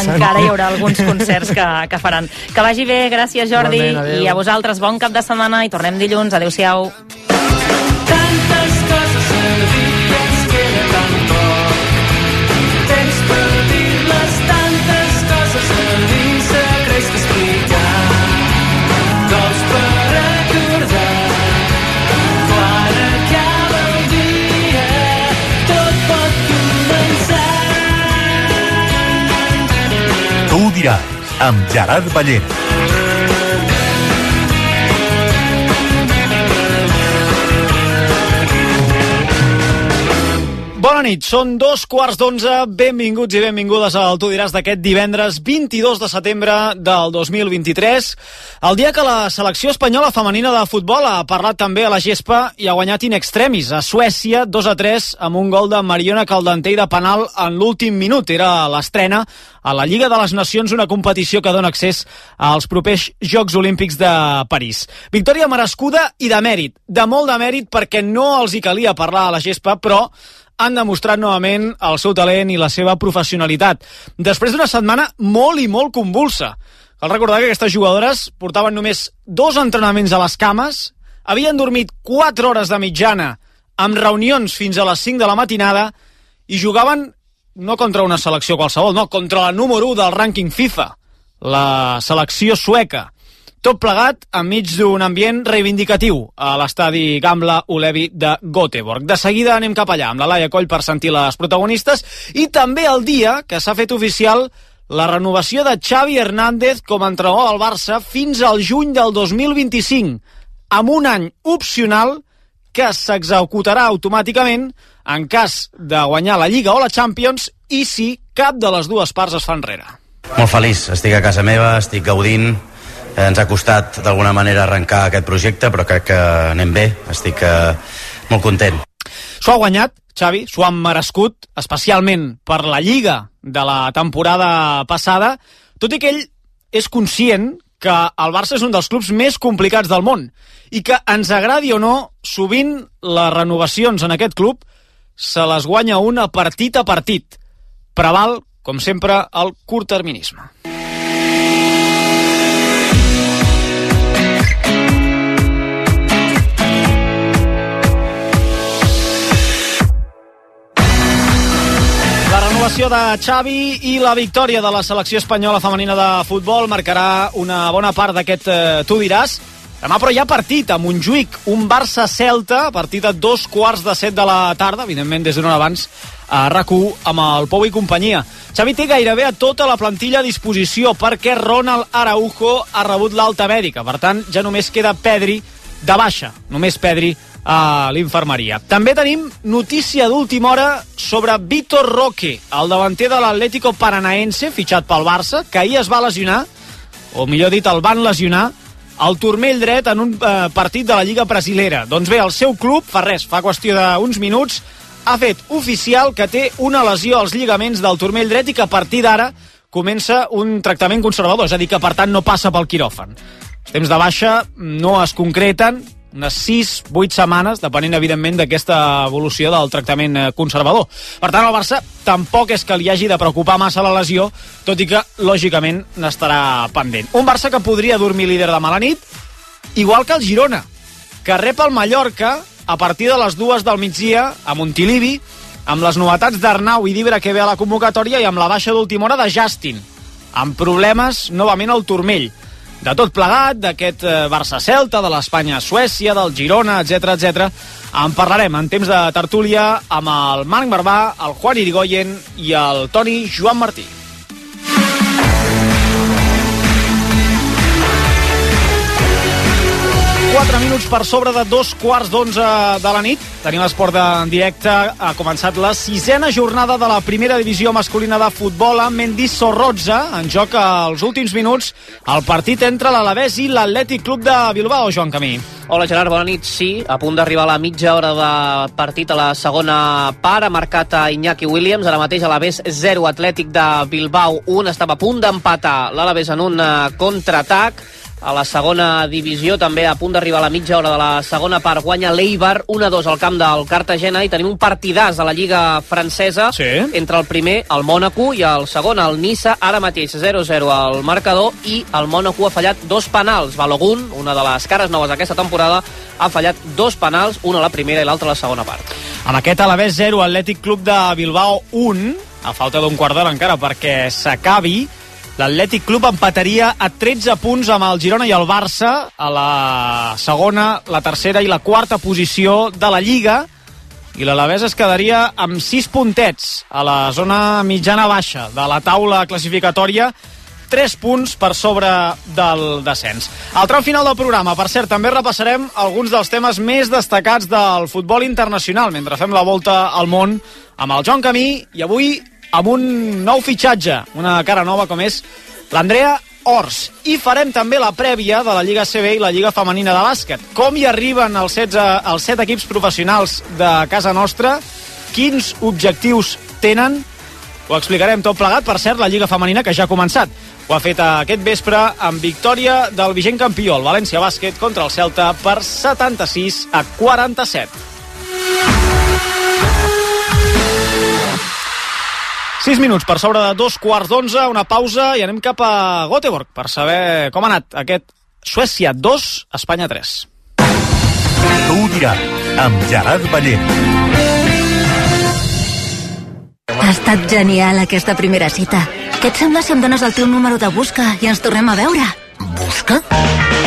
encara hi haurà alguns concerts que faran. Que vagi bé, gràcies Jordi, i a vosaltres bon cap de setmana i tornem dilluns. Adéu-siau. Tantes coses a dir que ens queda tan poc. Temps per dir-les, tantes coses a dir, secrets que explicar, cops per recordar. Quan acaba el dia, tot pot començar. Tu ho diràs, amb Gerard Ballera. Bona nit, són 11:15, benvinguts i benvingudes al Tu diràs d'aquest divendres 22 de setembre del 2023, el dia que la selecció espanyola femenina de futbol ha parlat també a la gespa i ha guanyat in extremis a Suècia 2-3 amb un gol de Mariona Caldentey de penal en l'últim minut. Era l'estrena a la Lliga de les Nacions, una competició que dona accés als propers Jocs Olímpics de París. Victòria merescuda i de mèrit, de molt de mèrit, perquè no els hi calia parlar a la gespa, però han demostrat novament el seu talent i la seva professionalitat. Després d'una setmana molt i molt convulsa. Cal recordar que aquestes jugadores portaven només 2 entrenaments a les cames, havien dormit 4 hores de mitjana, amb reunions fins a les 5 de la matinada, i jugaven no contra una selecció qualsevol, no, contra la número 1 del rànquing FIFA, la selecció sueca. Tot plegat enmig d'un ambient reivindicatiu a l'estadi Gamla Ullevi de Göteborg. De seguida anem cap allà amb la Laia Coll per sentir les protagonistes, i també el dia que s'ha fet oficial la renovació de Xavi Hernández com a entrenador del Barça fins al juny del 2025, amb un any opcional que s'executarà automàticament en cas de guanyar la Lliga o la Champions i si cap de les dues parts es fa enrere. Molt feliç, estic a casa meva, estic gaudint. Ens ha costat d'alguna manera arrencar aquest projecte, però crec que anem bé, estic molt content. S'ho ha guanyat, Xavi, s'ho han merescut, especialment per la Lliga de la temporada passada, tot i que ell és conscient que el Barça és un dels clubs més complicats del món i que, ens agradi o no, sovint les renovacions en aquest club se les guanya una partit a partit. Preval, com sempre, el curtterminisme. La renovació de Xavi i la victòria de la selecció espanyola femenina de futbol marcarà una bona part d'aquest Tu diràs. Demà, però, hi ha partit a Montjuïc, un Barça-Celta, partit a 6:15 de la tarda, evidentment des d'una hora abans a RAC1 amb el Pou i companyia. Xavi té gairebé a tota la plantilla a disposició perquè Ronald Araujo ha rebut l'alta mèdica, per tant ja només queda Pedri de baixa, només Pedri a l'infermeria. També tenim notícia d'última hora sobre Vitor Roque, el davanter de l'Atlético Paranaense, fitxat pel Barça, que ahir es va lesionar, o millor dit, el van lesionar, al turmell dret en un partit de la Lliga Brasilera. Doncs bé, el seu club, fa qüestió d'uns minuts, ha fet oficial que té una lesió als lligaments del turmell dret i que a partir d'ara comença un tractament conservador, és a dir, que per tant no passa pel quiròfan. Els temps de baixa no es concreten, unes 6-8 setmanes, depenent evidentment d'aquesta evolució del tractament conservador. Per tant, el Barça tampoc és que li hagi de preocupar massa la lesió, tot i que, lògicament, n'estarà pendent. Un Barça que podria dormir líder demà a la nit, igual que el Girona, que rep el Mallorca a partir de les 2 del migdia a Montilivi, amb les novetats d'Arnau i d'Ibra que ve a la convocatòria i amb la baixa d'última hora de Justin, amb problemes novament al turmell. De tot plegat, d'aquest Barça-Celta, de l'Espanya-Suècia, del Girona, etc. En parlarem en temps de tertúlia amb el Marc Barbà, el Juan Irigoyen i el Toni Joan Martí. 4 minuts per sobre de 11:15 de la nit. Tenim esport en directe. Ha començat la 6ª jornada de la primera divisió masculina de futbol amb Mendizorroza. En joc als últims minuts el partit entre l'Alavés i l'Atlètic Club de Bilbao. Joan Camí. Hola Gerard, bona nit. Sí, a punt d'arribar a la mitja hora de partit a la segona part. Ha marcat a Iñaki Williams. Ara mateix l'Alavés 0, Atlètic de Bilbao 1. Estava a punt d'empatar l'Alavés en un contraatac. A la segona divisió, també a punt d'arribar a la mitja hora de la segona part, guanya l'Eibar 1-2 al camp del Cartagena, i tenim un partidàs a la Lliga francesa entre el primer, el Mònaco, i el segon, el Niça, ara mateix 0-0 al marcador, i el Mònaco ha fallat 2 penals. Balogun, una de les cares noves d'aquesta temporada, ha fallat 2 penals, un a la primera i l'altre a la segona part. Amb aquest Alavés 0, Atlètic Club de Bilbao 1, a falta d'un quart d'hora encara perquè s'acabi, l'Atlètic Club empataria a 13 punts amb el Girona i el Barça a la segona, la tercera i la quarta posició de la Lliga, i l'Alavés es quedaria amb 6 puntets a la zona mitjana-baixa de la taula classificatòria, 3 punts per sobre del descens. Al tram final del programa, per cert, també repassarem alguns dels temes més destacats del futbol internacional mentre fem la volta al món amb el Joan Camí, i avui amb un nou fitxatge, una cara nova com és l'Andrea Ors. I farem també la prèvia de la Lliga CB i la Lliga Femenina de Bàsquet. Com hi arriben els 7 equips professionals de casa nostra, quins objectius tenen, ho explicarem tot plegat. Per cert, la Lliga Femenina, que ja ha començat, ho ha fet aquest vespre amb victòria del vigent campió, el València Bàsquet, contra el Celta per 76-47. 6 minuts per sobre de 2:15, una pausa i anem cap a Göteborg per saber com ha anat aquest Suècia 2, Espanya 3. Tu ho diràs, amb Gerard Ballent. Ha estat genial aquesta primera cita. Què et sembla si em dones el teu número de busca i ens tornem a veure? Busca?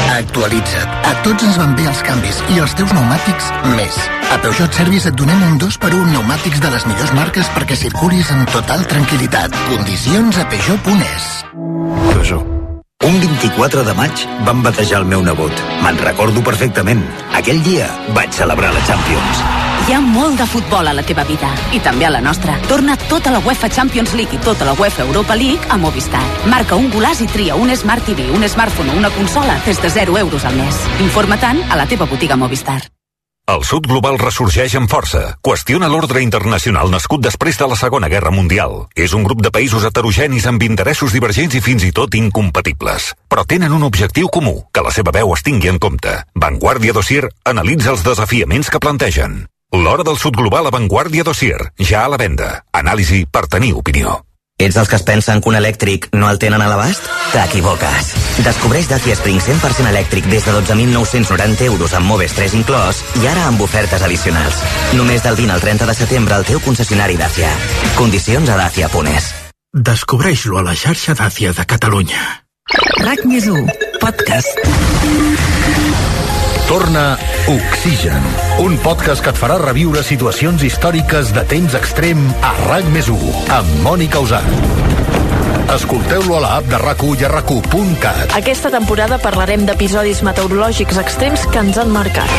Actualitza't. A tots ens van bé els canvis i els teus pneumàtics més. A Peugeot Service et donem un 2x1 pneumàtics de les millors marques perquè circulis en total tranquil·litat. Condicions a Peugeot.es. Peugeot. Un 24 de maig van batejar el meu nebot. Me'n recordo perfectament. Aquell dia vaig celebrar la Champions. Hi ha molt de futbol a la teva vida, i també a la nostra. Torna tota la UEFA Champions League i tota la UEFA Europa League a Movistar. Marca un golaç i tria un Smart TV, un smartphone o una consola des de 0 euros al mes. Informa-te'n a la teva botiga Movistar. El sud global ressorgeix amb força. Qüestiona l'ordre internacional nascut després de la Segona Guerra Mundial. És un grup de països heterogenis amb interessos divergents i fins i tot incompatibles. Però tenen un objectiu comú, que la seva veu es tingui en compte. Vanguardia Dossier analitza els desafiaments que plantegen. L'hora del sud global a Vanguardia Dossier, ja a la venda. Anàlisi per tenir opinió. Ets dels que es pensen que un elèctric no el tenen a l'abast? T'equivoques. Descobreix Dacia Spring 100% elèctric des de 12.990 euros amb Moves 3 inclòs i ara amb ofertes addicionals. Només del 20 al 30 de setembre al teu concessionari Dacia. Condicions a Dacia.es. Descobreix-lo a la xarxa Dacia de Catalunya. RAC+1, podcast. Torna Oxigen, un podcast que et farà reviure situacions històriques de temps extrem a RAC+1, amb Mònica Usart. Escolteu-lo a l'app de RAC1 i a RAC1.cat. Aquesta temporada parlarem d'episodis meteorològics extrems que ens han marcat.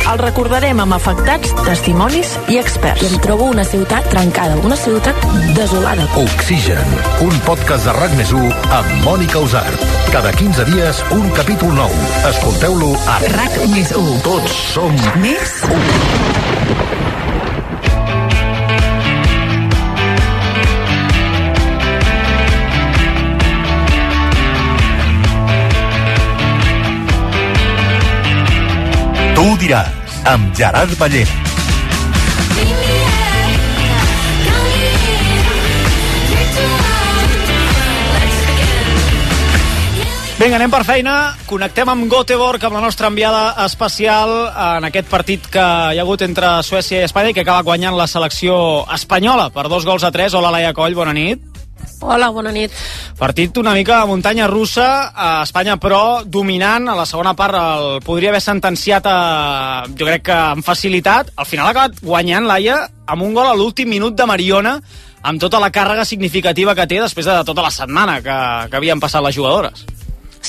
El recordarem amb afectats, testimonis i experts. I em trobo una ciutat trencada, una ciutat desolada. Oxigen, un podcast de RAC+1 amb Mònica Usart. Cada 15 dies, un capítol nou. Escolteu-lo a RAC+1. Tots som més 1. Tu ho diràs, amb Gerard Ballent. Vinga, anem per feina. Connectem amb Göteborg, amb la nostra enviada especial en aquest partit que hi ha hagut entre Suècia i Espanya i que acaba guanyant la selecció espanyola per 2-3. Hola, Laia Coll, bona nit. Hola, bona nit. Partit una mica a muntanya russa, a Espanya, però dominant. A la segona part el podria haver sentenciat, jo crec que amb facilitat. Al final ha acabat guanyant, Laia, amb un gol a l'últim minut de Mariona, amb tota la càrrega significativa que té després de tota la setmana que havien passat les jugadores.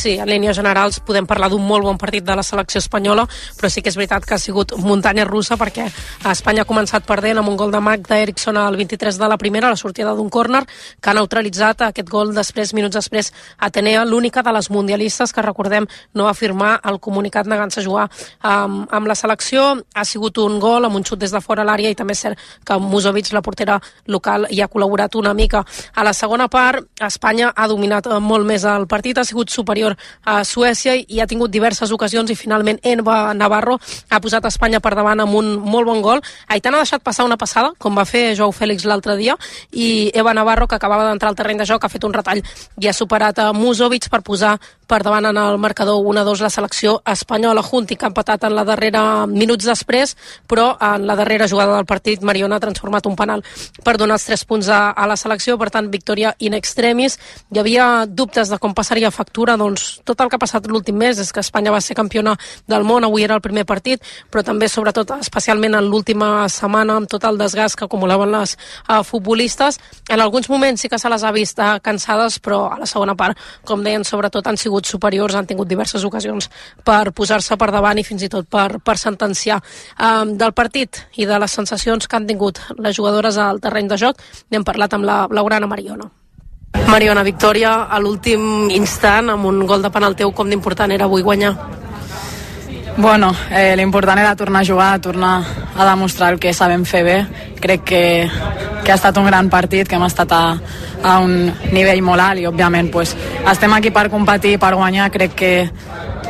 Sí, en línies generals podem parlar d'un molt bon partit de la selecció espanyola, però sí que és veritat que ha sigut muntanya russa, perquè Espanya ha començat perdent amb un gol de Magda Eriksson al 23 de la primera, a la sortida d'un córner, que ha neutralitzat aquest gol minuts després, Atenea, l'única de les mundialistes que, recordem, no va firmar el comunicat negant-se a jugar amb la selecció. Ha sigut un gol amb un xut des de fora a l'àrea, i també és cert que Musovic, la portera local, hi ha col·laborat una mica. A la segona part, Espanya ha dominat molt més el partit, ha sigut superior a Suècia i ha tingut diverses ocasions, i finalment Eva Navarro ha posat Espanya per davant amb un molt bon gol. Aitana ha deixat passar una passada, com va fer Joao Fèlix l'altre dia, i Eva Navarro, que acabava d'entrar al terreny de joc, ha fet un retall i ha superat a Musovic per posar per davant en el marcador 1-2 la selecció espanyola. Junti, que ha empatat en la darrera minuts després, però en la darrera jugada del partit Mariona ha transformat un penal per donar els 3 punts a la selecció. Per tant, victòria in extremis. Hi havia dubtes de com passaria factura. Doncs tot el que ha passat l'últim mes és que Espanya va ser campiona del món, avui era el primer partit, però també, sobretot, especialment en l'última setmana, amb tot el desgast que acumulaven les futbolistes. En alguns moments sí que se les ha vist cansades, però a la segona part, com deien, sobretot han sigut superiors, han tingut diverses ocasions per posar-se per davant i fins i tot per sentenciar. Del partit i de les sensacions que han tingut les jugadores al terreny de joc, n'hem parlat amb la blaugrana Mariona. Mariona, victòria a l'últim instant amb un gol de penal teu. Com d'important era avui guanyar? Bueno, l'important era tornar a jugar, tornar a demostrar el que sabem fer bé. Crec que ha estat un gran partit, que hem estat a un nivell molt alt i, òbviament, pues, estem aquí per competir, per guanyar. Crec que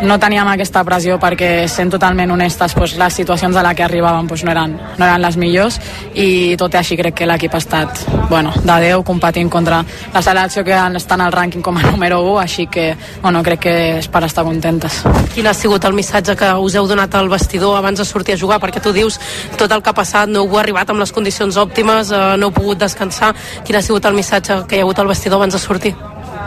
no teníem aquesta pressió perquè, sent totalment honestes, pues, les situacions a les que arribàvem pues, no eren les millors, i tot i així crec que l'equip ha estat de 10 competint contra la selecció que està en el rànquing com a número 1, així que crec que és per estar contentes. Quin ha sigut el missatge que us heu donat al vestidor abans de sortir a jugar? Perquè tu dius tot el que ha passat, no heu arribat amb les condicions òptimes, no heu pogut descansar. Quin ha sigut el missatge que hi ha hagut al vestidor abans de sortir?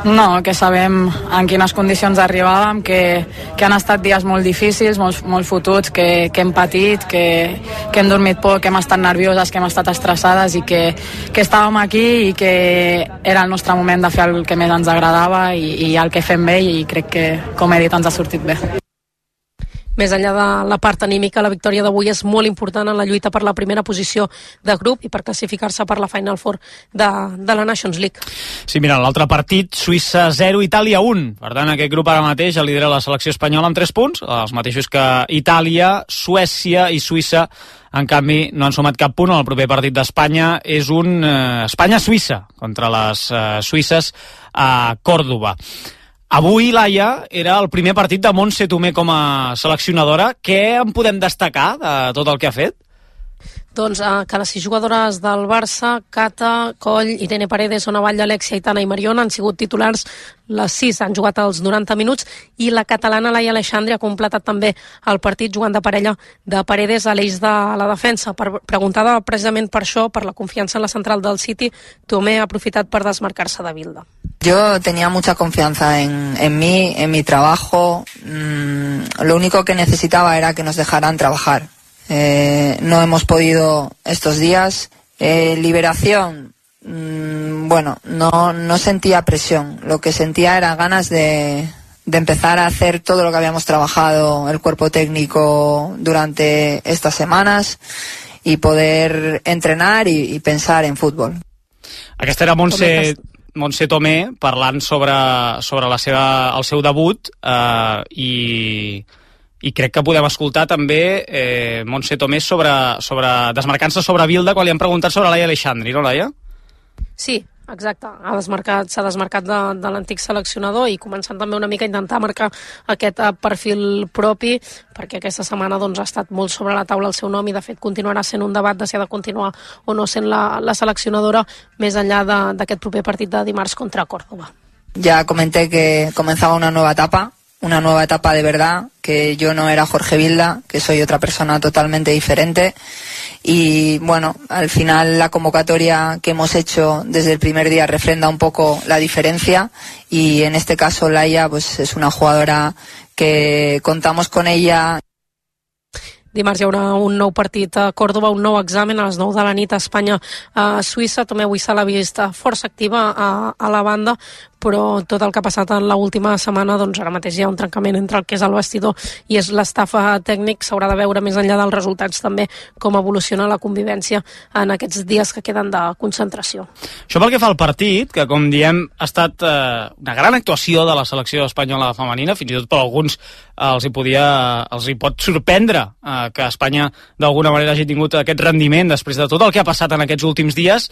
No, que sabem en quines condicions arribàvem, que han estat dies molt difícils, molt fotuts, que hem patit, que hem dormit poc, que hem estat nervioses, que hem estat estressades, i que estàvem aquí i que era el nostre moment de fer el que més ens agradava i el que fem bé, i crec que, com he dit, ens ha sortit bé. Més enllà de la part anímica, la victòria d'avui és molt important en la lluita per la primera posició de grup i per classificar-se per la Final Four de la Nations League. Sí, mira, l'altre partit, Suïssa 0, Itàlia 1. Per tant, aquest grup ara mateix el lidera la selecció espanyola amb 3 punts, els mateixos que Itàlia, Suècia i Suïssa. En canvi, no han sumat cap punt. El proper partit d'Espanya és un Espanya-Suïssa contra les suïsses a Còrdova. Avui, Laia, era el primer partit de Montse Tomé com a seleccionadora. Què en podem destacar de tot el que ha fet? Doncs que les 6 jugadores del Barça, Cata, Coll, Irene Paredes, Ona Batlle, Alexia, Aitana i Mariona, han sigut titulars. Les 6 han jugat els 90 minuts i la catalana Laia Aleixandre ha completat també el partit jugant de parella de Paredes a l'eix de la defensa. Preguntada precisament per això, per la confiança en la central del City, Tomé ha aprofitat per desmarcar-se de Bilda. Yo tenía mucha confianza en mí, en mi trabajo. Lo único que necesitaba era que nos dejaran trabajar. No hemos podido estos días. Liberación, no sentía presión. Lo que sentía era ganas de empezar a hacer todo lo que habíamos trabajado el cuerpo técnico durante estas semanas y poder entrenar y pensar en fútbol. Aquesta era Montse Tomé parlant sobre el seu debut i crec que podem escoltar també Montse Tomé desmarcant-se sobre Bilda quan li han preguntat sobre Laia Aleixandre, no, Laia? Sí, exacte. S'ha desmarcat de l'antic seleccionador i començant també una mica a intentar marcar aquest perfil propi, perquè aquesta setmana ha estat molt sobre la taula el seu nom i de fet continuarà sent un debat de si ha de continuar o no sent la seleccionadora més enllà d'aquest proper partit de dimarts contra Córdoba. Ya comenté que comenzaba una nueva etapa de verdad, que yo no era Jorge Vilda, que soy otra persona totalmente diferente. Y al final la convocatoria que hemos hecho desde el primer día refrenda un poco la diferencia, y en este caso Laia pues es una jugadora que contamos con ella. Dimarts hi haurà un nou partit a Còrdova, un nou examen a les 9 de la nit a Espanya a Suïssa. Tomé avui se l'ha vist força activa a la banda, però tot el que ha passat en l'última setmana, doncs ara mateix hi ha un trencament entre el que és el vestidor i és l'estafa tècnic. S'haurà de veure més enllà dels resultats també com evoluciona la convivència en aquests dies que queden de concentració. Això pel que fa al partit, que com diem ha estat una gran actuació de la selecció espanyola femenina, fins i tot per alguns els hi pot sorprendre que Espanya d'alguna manera hagi tingut aquest rendiment després de tot el que ha passat en aquests últims dies.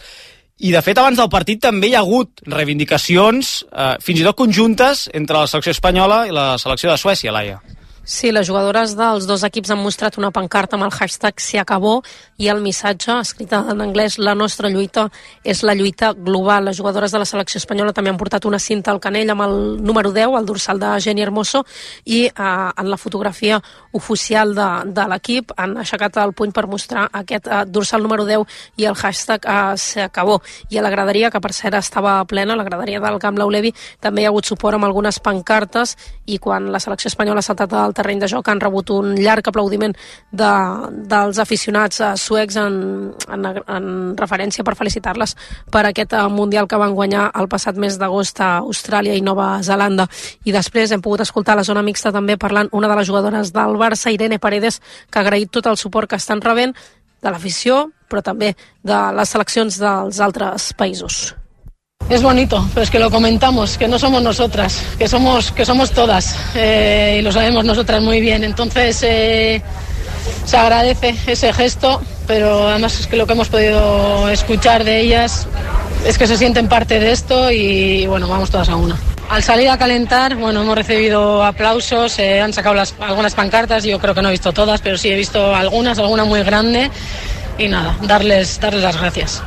I, de fet, abans del partit també hi ha hagut reivindicacions, fins i tot conjuntes, entre la selecció espanyola i la selecció de Suècia, Laia. Sí, les jugadores dels dos equips han mostrat una pancarta amb el hashtag Se acabó i el missatge, escrit en anglès, la nostra lluita és la lluita global. Les jugadores de la selecció espanyola també han portat una cinta al canell amb el número 10, el dorsal de Jenny Hermoso, i en la fotografia oficial de l'equip han aixecat el puny per mostrar aquest dorsal número 10 i el hashtag Se acabó. I a la graderia, que per cert estava plena, la graderia del Camp Lau Levi, també hi ha hagut suport amb algunes pancartes, i quan la selecció espanyola ha saltat al terreny de joc han rebut un llarg aplaudiment dels aficionats suecs en referència per felicitar-les per aquest Mundial que van guanyar el passat mes d'agost a Austràlia i Nova Zelanda. I després hem pogut escoltar a la zona mixta també parlant una de les jugadores del Barça, Irene Paredes, que ha agraït tot el suport que estan rebent de l'afició, però també de les seleccions dels altres països. Es bonito, pero es que lo comentamos, que no somos nosotras, que somos todas, y lo sabemos nosotras muy bien. Entonces se agradece ese gesto, pero además es que lo que hemos podido escuchar de ellas es que se sienten parte de esto y bueno, vamos todas a una. Al salir a calentar, bueno, hemos recibido aplausos, han sacado algunas pancartas, yo creo que no he visto todas, pero sí he visto alguna muy grande, y nada, darles las gracias.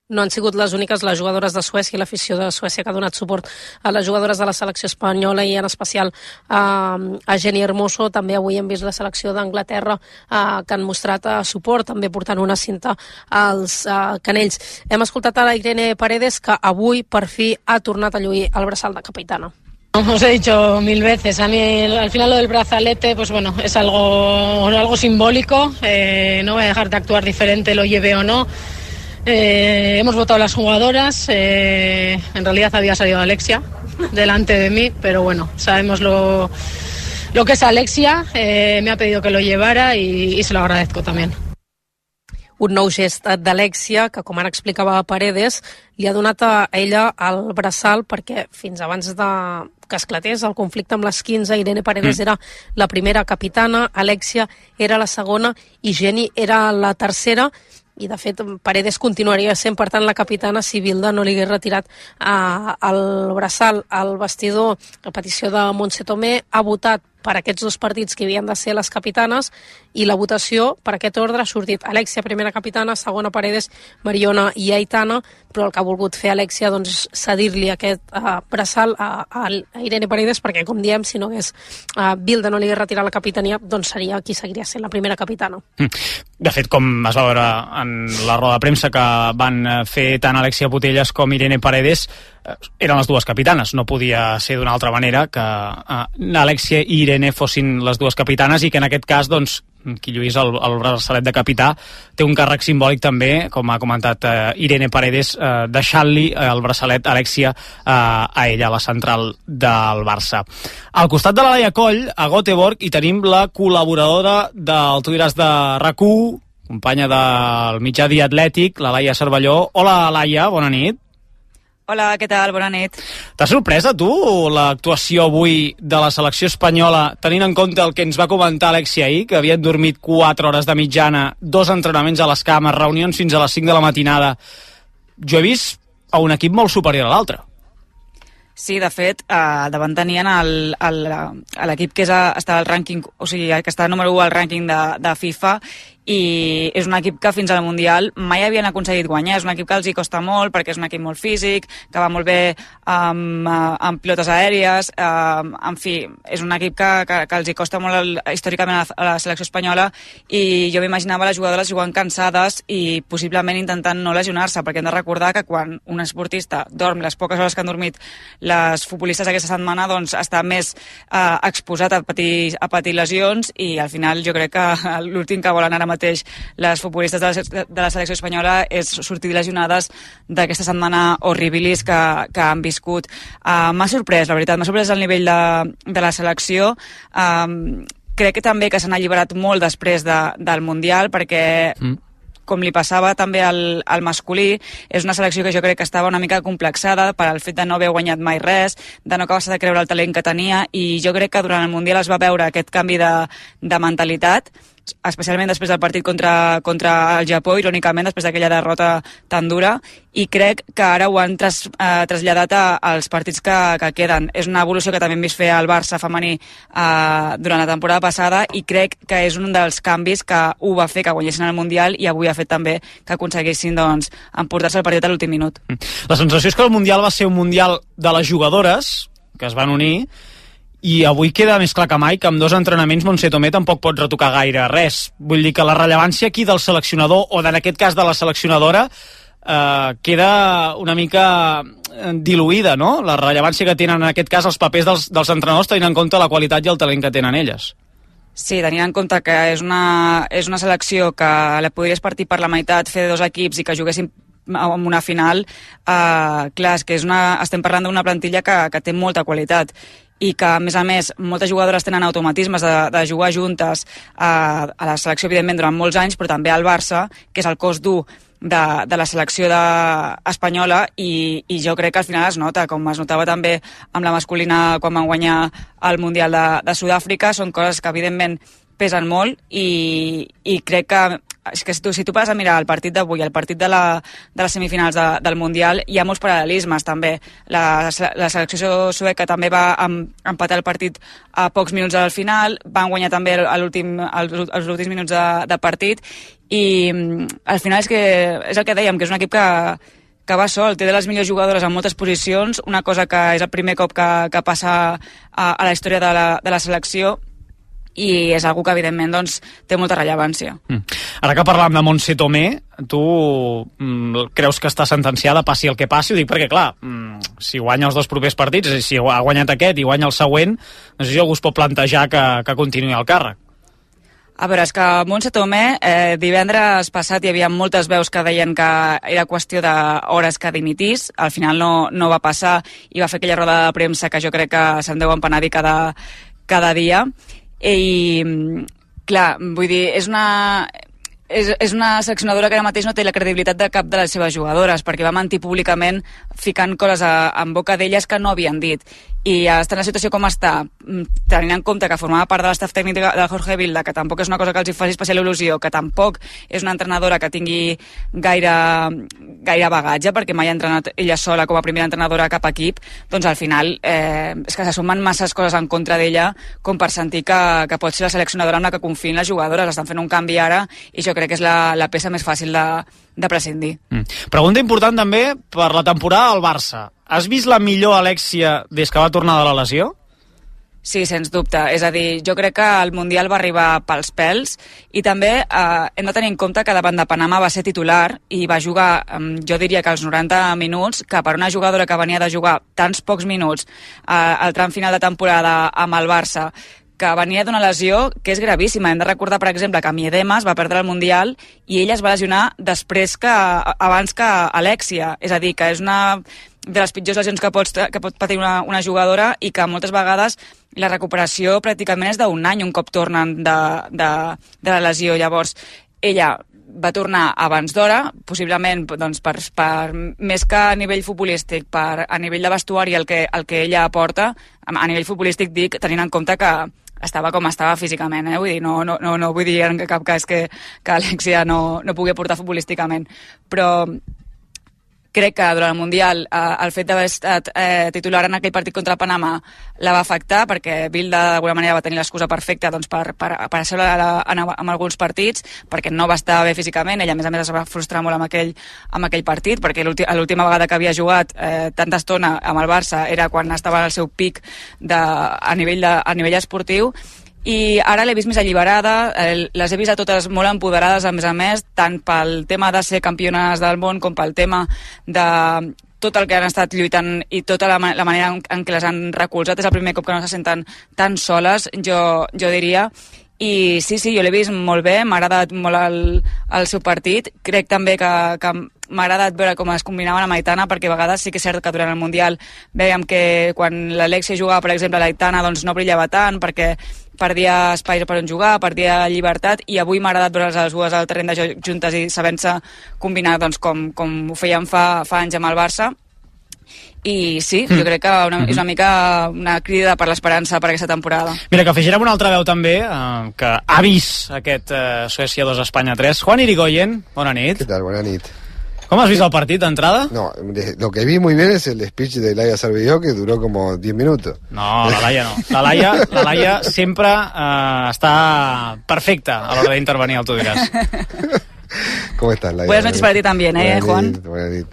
No han sigut les úniques les jugadores de Suècia i l'afició de Suècia que ha donat suport a les jugadores de la selecció espanyola i en especial a Jenny Hermoso. També avui hem vist la selecció d'Anglaterra que han mostrat suport, també portant una cinta als canells. Hem escoltat a la Irene Paredes, que avui per fi ha tornat a lluir el braçal de capitana. Os he dicho 1000 veces, a mí al final lo del brazalete, pues bueno, es algo simbólico, no voy a dejar de actuar diferente, lo lleve o no. Hemos votado las jugadoras, en realidad había salido Alexia delante de mí, pero bueno, sabemos lo que es Alexia, me ha pedido que lo llevara y se lo agradezco también. Un nou gest d'Alexia, que com ara explicava Paredes, li ha donat a ella el braçal perquè fins abans que esclatés el conflicte amb les 15, Irene Paredes era la primera capitana, Alexia era la segona i Jenny era la tercera, i de fet Paredes continuaria sent per tant la capitana si Bilda no li hagués retirat el braçal al vestidor. A petició de Montse Tomé ha votat per aquests dos partits que havien de ser les capitanes i la votació per aquest ordre ha sortit Alexia primera capitana, segona Paredes, Mariona i Aitana, però el que ha volgut fer Alexia doncs, és cedir-li aquest braçal a Irene Paredes perquè, com diem, si no hagués Bilda no li hagués retirat la capitania, doncs seria qui seguiria sent la primera capitana. De fet, com es va veure en la roda de premsa que van fer tant Alexia Putellas com Irene Paredes, eren les dues capitanes, no podia ser d'una altra manera que Alexia i Irene fossin les dues capitanes i que en aquest cas, doncs, qui lluís el braçalet de capità té un càrrec simbòlic també, com ha comentat Irene Paredes, deixant-li el braçalet Alexia a ella, a la central del Barça. Al costat de la Laia Coll, a Göteborg, hi tenim la col·laboradora del Tu diràs de RAC1, companya del mitjà Dia Atlètic, la Laia Cervelló. Hola, Laia, bona nit. Hola, què tal? Bona nit. T'ha sorprès a tu l'actuació avui de la selecció espanyola, tenint en compte el que ens va comentar Alexia ahir, que havien dormit 4 hores de mitjana, 2 entrenaments a les cames, reunions fins a les 5 de la matinada? Jo he vist a un equip molt superior a l'altre. Sí, de fet, davant tenien l'equip que està al rànquing, o sigui, que està número 1 al rànquing de FIFA, i és un equip que fins al Mundial mai havien aconseguit guanyar. És un equip que els hi costa molt perquè és un equip molt físic, que va molt bé amb pilotes aèries, en fi, és un equip que els hi costa molt històricament a la selecció espanyola, i jo m'imaginava les jugadores jugant cansades i possiblement intentant no lesionar-se, perquè hem de recordar que quan un esportista dorm les poques hores que han dormit les futbolistes aquesta setmana, doncs està més exposat a patir lesions, i al final jo crec que l'últim que volen ara mateix les futbolistes de la selecció espanyola és sortir lesionades d'aquesta setmana horribilis que han viscut. M'ha sorprès, la veritat, m'ha sorprès el nivell de la selecció. Crec que també que s'han alliberat molt després del Mundial, perquè com li passava també al masculí, és una selecció que jo crec que estava una mica complexada per al fet de no haver guanyat mai res, de no acabar-se de creure el talent que tenia, i jo crec que durant el Mundial es va veure aquest canvi de mentalitat, especialment després del partit contra el Japó, irònicament, després d'aquella derrota tan dura, i crec que ara ho han traslladat als partits que queden. És una evolució que també hem vist fer al Barça femení durant la temporada passada, i crec que és un dels canvis que ho va fer que guanyessin el Mundial, i avui ha fet també que aconseguissin emportar-se el partit a l'últim minut. La sensació és que el Mundial va ser un Mundial de les jugadores, que es van unir, i avui queda més clar que mai que amb 2 entrenaments Montse Tomé tampoc pot retocar gaire res. Vull dir que la rellevància aquí del seleccionador, o en aquest cas de la seleccionadora, queda una mica diluïda, no? La rellevància que tenen en aquest cas els papers dels entrenadors, tenint en compte la qualitat i el talent que tenen elles. Sí, tenint en compte que és una selecció que la podries partir per la meitat, fer 2 equips i que juguessin en una final, clar, és que estem parlant d'una plantilla que té molta qualitat, i que, a més, moltes jugadores tenen automatismes de jugar juntes a la selecció, evidentment, durant molts anys, però també al Barça, que és el cos dur de la selecció espanyola, i jo crec que al final es nota, com es notava també amb la masculina quan van guanyar el Mundial de Sud-àfrica. Són coses que, evidentment, pesen molt, i crec que és que si tu passes a mirar el partit d'avui, el partit de les semifinals del Mundial, hi ha molts paral·lelismes també. La selecció sueca també va empatar el partit a pocs minuts al final, van guanyar també els últims minuts de partit, i al final és el que dèiem, que és un equip que va sol, té de les millors jugadores en moltes posicions, una cosa que és el primer cop que passa a la història de la selecció, i és algo que, evidentment, té molta rellevància. Ara que parlàvem de Montse Tomé, tu creus que està sentenciada, passi el que passi? Ho dic perquè, clar, si guanya els 2 propers partits, si ha guanyat aquest i guanya el següent, no sé si algú es pot plantejar que continuï al càrrec. A veure, és que Montse Tomé, divendres passat hi havia moltes veus que deien que era qüestió d'hores que dimitís, al final no va passar, i va fer aquella roda de premsa que jo crec que se'n deu empenedir cada dia. I clar, vull dir, és una seleccionadora que ara mateix no té la credibilitat de cap de les seves jugadores, perquè va mentir públicament ficant coses en boca d'elles que no havien dit, i està en la situació com està, tenint en compte que formava part de l'estaf tècnic de Jorge Vilda, que tampoc és una cosa que els faci especial il·lusió, que tampoc és una entrenadora que tingui gaire bagatge, perquè mai ha entrenat ella sola com a primera entrenadora a cap equip, doncs al final és que se sumen masses coses en contra d'ella com per sentir que pot ser la seleccionadora amb la que confiïn les jugadores. Estan fent un canvi ara, i jo crec que és la peça més fàcil de prescindir. Pregunta important també per la temporada al Barça. Has vist la millor Alexia des que va tornar de la lesió? Sí, sens dubte. És a dir, jo crec que el Mundial va arribar pels pèls, i també hem de tenir en compte que davant de Panamà va ser titular i va jugar, jo diria que als 90 minuts, que per una jugadora que venia de jugar tants pocs minuts al tram final de temporada amb el Barça, que venia d'una lesió que és gravíssima. Hem de recordar, per exemple, que Miedemas va perdre el Mundial i ella es va lesionar abans que Alexia. És a dir, que és una de les pitjors lesions que pot patir una jugadora, i que moltes vegades la recuperació pràcticament és d'un any un cop tornen de la lesió. Llavors, ella va tornar abans d'hora, possiblement per més que a nivell futbolístic, a nivell de vestuari el que ella aporta, a nivell futbolístic dic, tenint en compte que estava com estava físicament, vull dir, no vull dir en cap cas que Alexia no pugui aportar futbolísticament, però crec que durant el Mundial el fet d'haver estat titular en aquell partit contra Panamà la va afectar, perquè Vilda d'alguna manera va tenir l'excusa perfecta per ser en alguns partits, perquè no va estar bé físicament. Ella a més es va frustrar molt amb aquell partit, perquè l'última vegada que havia jugat tanta estona amb el Barça era quan estava al seu pic a nivell esportiu, i ara l'he vist més alliberada, les he vist a totes molt empoderades, a més, tant pel tema de ser campiones del món com pel tema de tot el que han estat lluitant i tota la manera en què les han recolzat. És el primer cop que no se senten tan soles, jo diria, i sí, jo l'he vist molt bé, m'ha agradat molt el seu partit, crec també que m'ha agradat veure com es combinaven amb Aitana, perquè a vegades sí que és cert que durant el Mundial veiem que quan l'Alexia jugava, per exemple, l'Aitana doncs no brillava tant, perquè perdia espais per on jugar, perdia llibertat, i avui m'ha agradat veure les dues al terreny de joc juntes i sabent-se combinar doncs, com ho feien fa anys amb el Barça. I sí, jo crec que és una mica una crida per l'esperança per aquesta temporada. Mira, que afegirem una altra veu també, que ha vist aquest Suècia 2, Espanya 3. Juan Irigoyen, bona nit. ¿Qué tal? Buena nit. ¿Cómo has visto el partido de entrada? No, lo que vi muy bien es el speech de Laia Cervelló, que duró como 10 minutos. No, la Laia no. La Laia sempre està perfecta a l'hora d'intervenir al Tu diràs. ¿Cómo estás, Laia? Buenas noches para ti también, Juan? Buenas nit.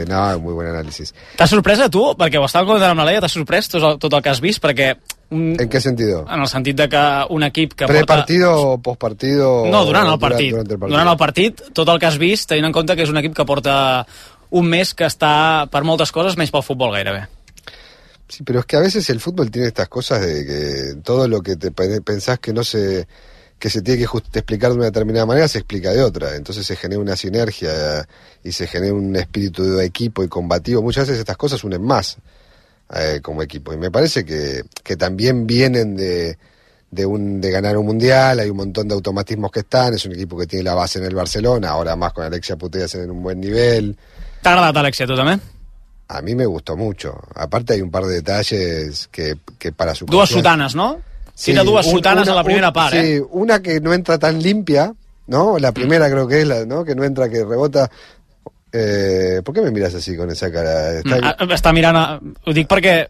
No, muy buen análisis. T'has sorprès a tu? Perquè ho estava comentant amb la Laia, t'has sorprès tot el que has vist? Perquè... ¿En qué sentido? En el sentit de que un equip que ¿Prepartido o postpartido? No, durant el partit. Durant el partit, tot el que has vist, tenint en compte que és un equip que porta un mes que està per moltes coses, menys pel futbol gairebé. Sí, pero es que a veces el fútbol tiene estas cosas de que todo lo que te pensás que se tiene que explicar de una determinada manera, se explica de otra. Entonces se genera una sinergia y se genera un espíritu de equipo y combativo. Muchas veces estas cosas unen más como equipo. Y me parece que también vienen de ganar un mundial. Hay un montón de automatismos que están. Es un equipo que tiene la base en el Barcelona, ahora más con Alexia Putellas en un buen nivel. ¿Te ha agradado Alexia, tú también? A mí me gustó mucho. Aparte hay un par de detalles que para su... Dues sotanes, ¿no? Sí, tira dues sotanes a la primera part, sí, una que no entra tan limpia, ¿no? La primera creo que es la, ¿no? Que no entra, que rebota. ¿Por qué me miras así con esa cara? Està mirant... Ho dic perquè,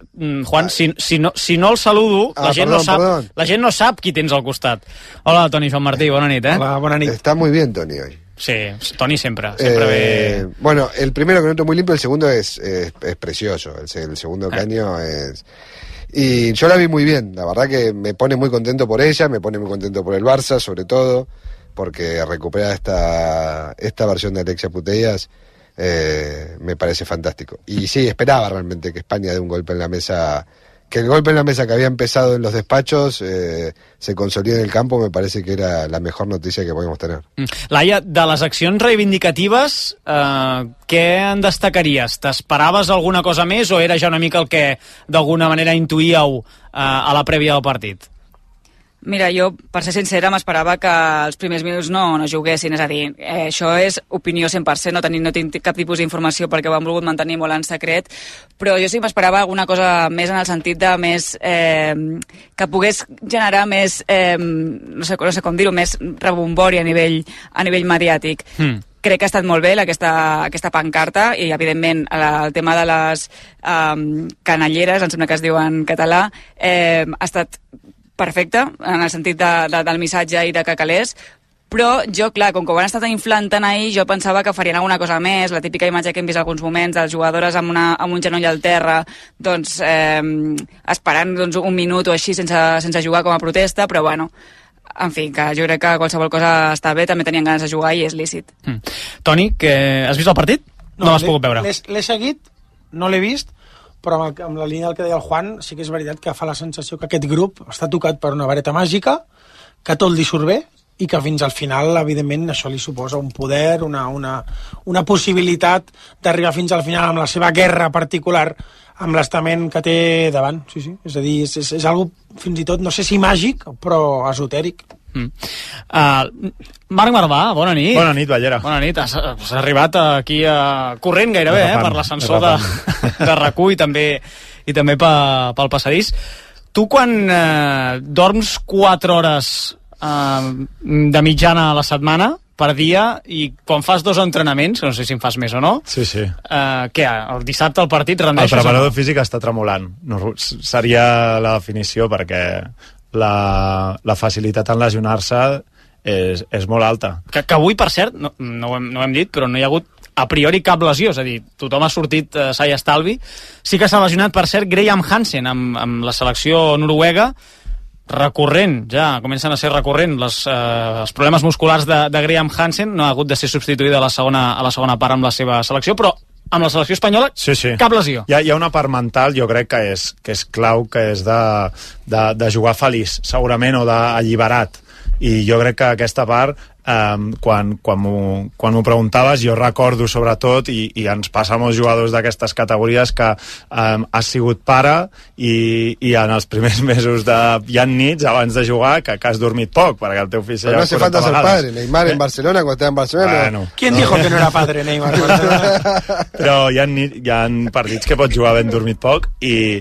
Juan, si no el saludo, la gent no sap qui tens al costat. Hola, Toni, Joan Martí, bona nit, Hola, bona nit. Está muy bien, Toni, hoy. Sí, Toni sempre ve... Bueno, el primero que no entra muy limpio, el segundo es precioso. El segundo caño es... Y yo la vi muy bien, la verdad que me pone muy contento por ella, me pone muy contento por el Barça, sobre todo, porque recuperar esta versión de Alexia Putellas me parece fantástico. Y sí, esperaba realmente que España dé un golpe en la mesa, que el golpe en la mesa que había empezado en los despachos se consolide en el campo, me parece que era la mejor noticia que podíamos tener. Laia, de les accions reivindicatives, què en destacaries? T'esperaves alguna cosa més o era ja una mica el que d'alguna manera intuíeu a la prèvia del partit? Mira, jo, per ser sincera, m'esperava que els primers minuts no juguessin, és a dir, això és opinió 100%, no tinc cap tipus d'informació perquè ho han volgut mantenir molt en secret, però jo sí m'esperava alguna cosa més en el sentit de més... que pogués generar més, no sé com dir-ho, més rebombori a nivell mediàtic. Crec que ha estat molt bé aquesta pancarta i, evidentment, el tema de les canalleres, em sembla que es diu en català, ha estat perfecte, en el sentit del missatge i de que calés, però jo, clar, com que ho han estat inflant tant ahir, jo pensava que farien alguna cosa més, la típica imatge que hem vist alguns moments, de les jugadores amb un genoll al terra, doncs, esperant un minut o així sense jugar com a protesta, però bueno, en fi, que jo crec que qualsevol cosa està bé, també tenien ganes de jugar i és lícit. Toni, has vist el partit? No l'has pogut veure. L'he seguit, no l'he vist, però amb la línia del que deia el Juan, sí que és veritat que fa la sensació que aquest grup està tocat per una vareta màgica, que tot li surt bé, i que fins al final, evidentment, això li suposa un poder, una possibilitat d'arribar fins al final amb la seva guerra particular, amb l'estament que té davant. Sí. És a dir, és algo fins i tot, no sé si màgic, però esotèric. Marc Marvà, bona nit. Bona nit, Ballera. Bona nit, has arribat aquí corrent gairebé per l'ascensor de RAC1 i també pel passadís. Tu quan dorms 4 hores de mitjana a la setmana per dia i quan fas 2 entrenaments, no sé si en fas més o no, sí. Què, el dissabte el partit rendeixes? El preparador físic està tremolant, seria la definició, perquè la facilitat en lesionar-se és molt alta. Que avui, per cert, no ho hem dit, però no hi ha hagut a priori cap lesió, és a dir, tothom ha sortit sa i estalvi. Sí que s'ha lesionat, per cert, Graham Hansen amb la selecció noruega, recurrent, ja comencen a ser recurrent els problemes musculars de Graham Hansen, no ha hagut de ser substituïda a la segona part amb la seva selecció, però amb la selecció espanyola, sí. Cap lesió. Hi ha una part mental, jo crec que és clau, que és de jugar feliç, segurament, o d'alliberat. i jo crec que aquesta part quan m'ho preguntaves, jo recordo sobretot, i ens passa a molts jugadors d'aquestes categories, que has sigut pare i en els primers mesos hi ha nits abans de jugar que has dormit poc, perquè el teu fill no hace falta ser padre. Neymar en Barcelona, cuando estaba en Barcelona... Bueno, ¿Quién dijo que no era padre Neymar? Però hi ha partits que pots jugar ben dormit poc i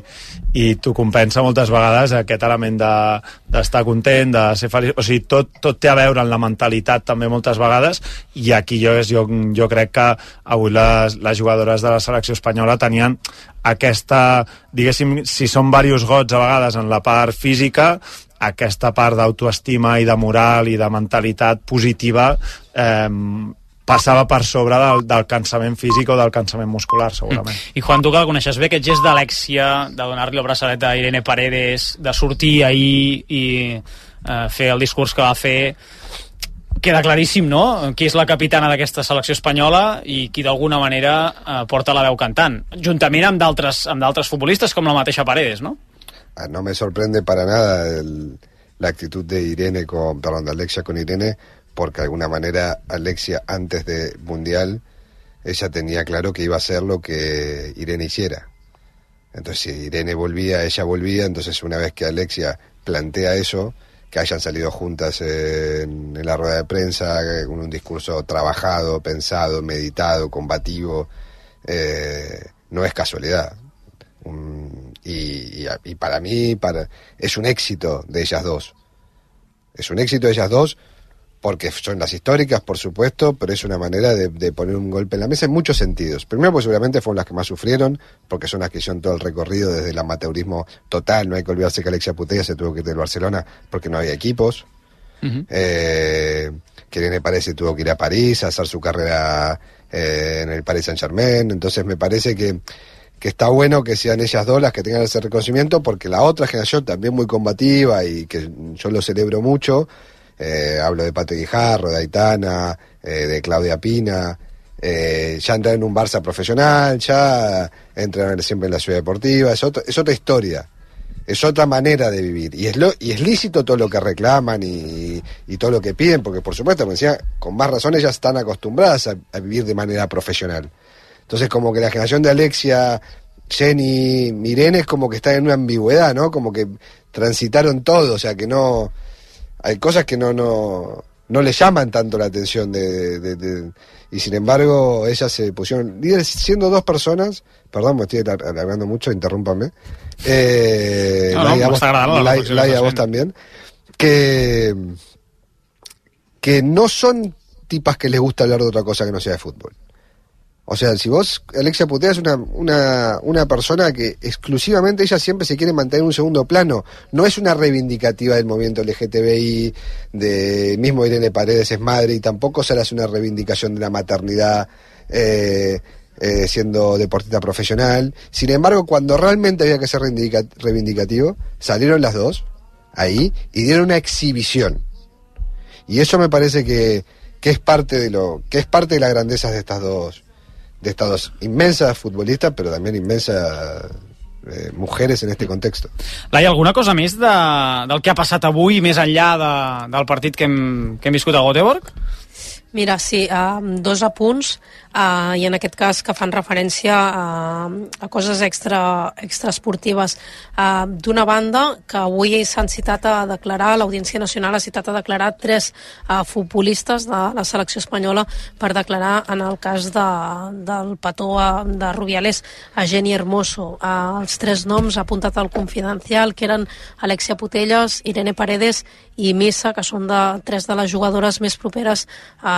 t'ho compensa moltes vegades aquest element d'estar content, de ser feliç, o sigui, tot té a veure amb la mentalitat també moltes vegades, i aquí jo crec que avui les jugadores de la selecció espanyola tenien aquesta, diguéssim, si són diversos gots a vegades en la part física, aquesta part d'autoestima i de moral i de mentalitat positiva passava per sobre del cansament físic o del cansament muscular, segurament. I Juan, tu que la coneixes bé, aquest gest d'Alexia, de donar-li el braçalet a Irene Paredes, de sortir ahir i fer el discurs que va fer, queda claríssim, no?, qui és la capitana d'aquesta selecció espanyola i qui d'alguna manera porta la veu cantant, juntament amb d'altres futbolistes com la mateixa Paredes, no? No me sorprende para nada la actitud de Alexia con Irene, porque de alguna manera Alexia antes del Mundial ella tenía claro que iba a hacer lo que Irene hiciera. Entonces si Irene volvía, ella volvía. Entonces una vez que Alexia plantea eso, que hayan salido juntas en la rueda de prensa con un discurso trabajado, pensado, meditado, combativo, no es casualidad. Y para mí es un éxito de ellas dos. Es un éxito de ellas dos porque son las históricas, por supuesto, pero es una manera de poner un golpe en la mesa en muchos sentidos. Primero, pues seguramente fueron las que más sufrieron, porque son las que hicieron todo el recorrido desde el amateurismo total. No hay que olvidarse que Alexia Putellas se tuvo que ir del Barcelona porque no había equipos. Que Irene Paredes se tuvo que ir a París a hacer su carrera en el Paris Saint-Germain. Entonces me parece que está bueno que sean ellas dos las que tengan ese reconocimiento, porque la otra generación también muy combativa y que yo lo celebro mucho, hablo de Pate Guijarro, de Aitana, de Claudia Pina, ya entran en un Barça profesional, ya entran siempre en la ciudad deportiva, es otra historia, es otra manera de vivir, y es lícito todo lo que reclaman y todo lo que piden, porque por supuesto, me decía, con más razón ellas están acostumbradas a vivir de manera profesional. Entonces como que la generación de Alexia, Jenny, Irene es como que están en una ambigüedad, ¿no? Como que transitaron todo, o sea que no... Hay cosas que no le llaman tanto la atención y sin embargo ellas se pusieron líderes siendo dos personas. Perdón, me estoy alargando mucho, interrúmpame. Laia, vos también. Que no son tipas que les gusta hablar de otra cosa que no sea de fútbol. O sea, si vos, Alexia Putellas es una persona que exclusivamente ella siempre se quiere mantener en un segundo plano. No es una reivindicativa del movimiento LGTBI, mismo Irene Paredes es madre, y tampoco se le hace una reivindicación de la maternidad siendo deportista profesional. Sin embargo, cuando realmente había que ser reivindicativo, salieron las dos ahí y dieron una exhibición. Y eso me parece que es parte de las grandezas de estas dos inmensas futbolistas, pero también inmensas mujeres en este contexto. Laia, alguna cosa més del que ha passat avui, més enllà del partit que hem viscut a Göteborg? Mira, sí, dos apunts, i en aquest cas que fan referència a coses extraesportives. D'una banda, que avui s'han citat a declarar, l'Audiència Nacional ha citat a declarar 3 futbolistes de la selecció espanyola per declarar en el cas del petó de Rubiales a Jenny Hermoso. Els 3 noms ha apuntat al Confidencial, que eren Alexia Putellas, Irene Paredes i Missa, que són 3 de les jugadores més properes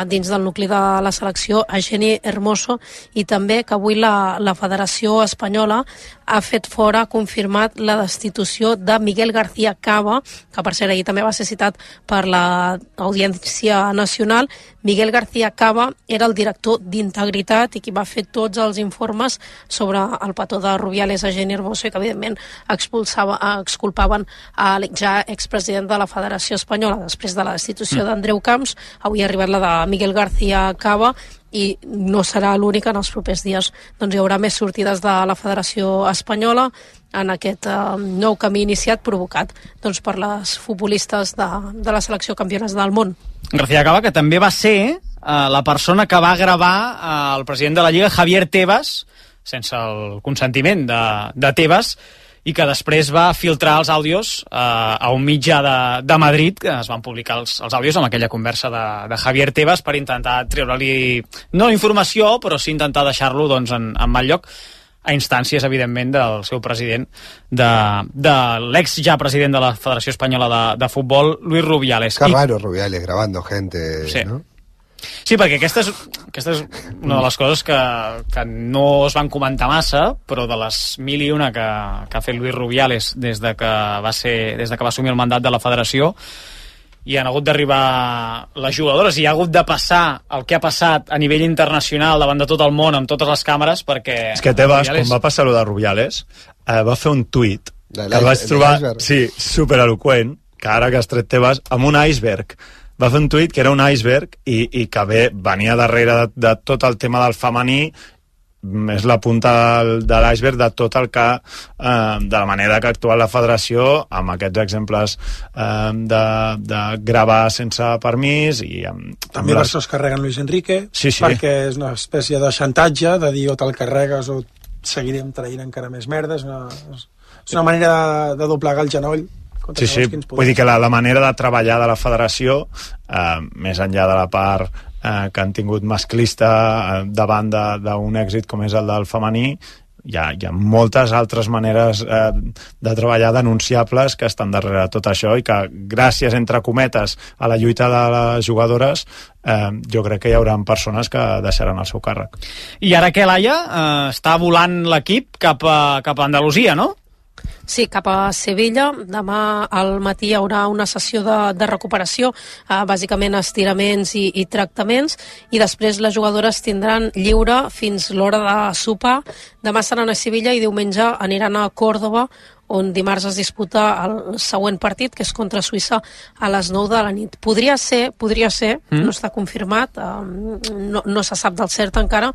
dins del nucli de la selecció, a Jenny Hermoso, i també que avui la Federació Espanyola ha fet fora, ha confirmat la destitució de Miguel García Cava, que per cert ahir també va ser citat per l'Audiència Nacional. Miguel García Cava era el director d'Integritat i qui va fer tots els informes sobre el petó de Rubiales a Jenny Hermoso, i que evidentment exculpaven el ja expresident de la Federació Espanyola. Després de la destitució d'Andreu Camps, avui ha arribat la de Miguel García Cava, i no serà l'única. En els propers dies doncs, hi haurà més sortides de la Federació Espanyola en aquest nou camí iniciat, provocat doncs, per les futbolistes de la selecció campiones del món. García Cava, que també va ser la persona que va gravar el president de la Lliga, Javier Tebas, sense el consentiment de Tebas, i que després va filtrar els àudios a un mitjà de Madrid, que es van publicar els àudios amb aquella conversa de Javier Tebas per intentar treure-li, no informació, però sí intentar deixar-lo doncs, en mal lloc, a instàncies, evidentment, del seu president, de l'ex ja president de la Federació Espanyola de Futbol, Luis Rubiales. Qué raro Rubiales grabando gente, sí. ¿No? Sí, perquè aquesta és una de les coses que no es van comentar massa, però de les 1001 que ha fet Luis Rubiales des de que va assumir el mandat de la federació, i han hagut d'arribar les jugadores i ha hagut de passar el que ha passat a nivell internacional davant de tot el món amb totes les càmeres, perquè... És que Tebas, quan va passar-ho de Rubiales, va fer un tuit que el vaig trobar supereloqüent, que ara que has tret Tebas, amb un iceberg. Va fer un tuit que era un iceberg i que venia darrere de tot el tema del femení, és la punta de l'iceberg de tot el que de la manera que ha actuat la federació amb aquests exemples de gravar sense permís i també per això es carreguen Luis Enrique, perquè és una espècie de xantatge de dir o te'l carregues o seguirem traient encara més merda. És una manera de doblegar el genoll. Sí, vull dir que la manera de treballar de la federació, més enllà de la part que han tingut masclista davant d'un èxit com és el del femení, hi ha moltes altres maneres de treballar denunciables que estan darrere de tot això i que gràcies, entre cometes, a la lluita de les jugadores jo crec que hi haurà persones que deixaran el seu càrrec. I ara que Laia està volant l'equip cap a Andalusia, no? Sí, cap a Sevilla. Demà al matí hi haurà una sessió de recuperació, bàsicament estiraments i tractaments, i després les jugadores tindran lliure fins l'hora de sopar. Demà seran a Sevilla i diumenge aniran a Còrdova, on dimarts es disputa el següent partit, que és contra Suïssa a les 9 de la nit. Podria ser, no està confirmat, no se sap del cert encara,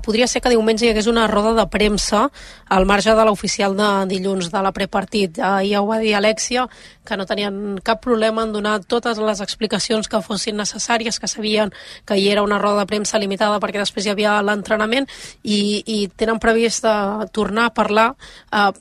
podria ser que diumenge hi hagués una roda de premsa al marge de l'oficial de dilluns de la prepartit. Ja ho va dir Alexia, que no tenien cap problema en donar totes les explicacions que fossin necessàries, que sabien que hi era una roda de premsa limitada perquè després hi havia l'entrenament i tenen previst tornar a parlar.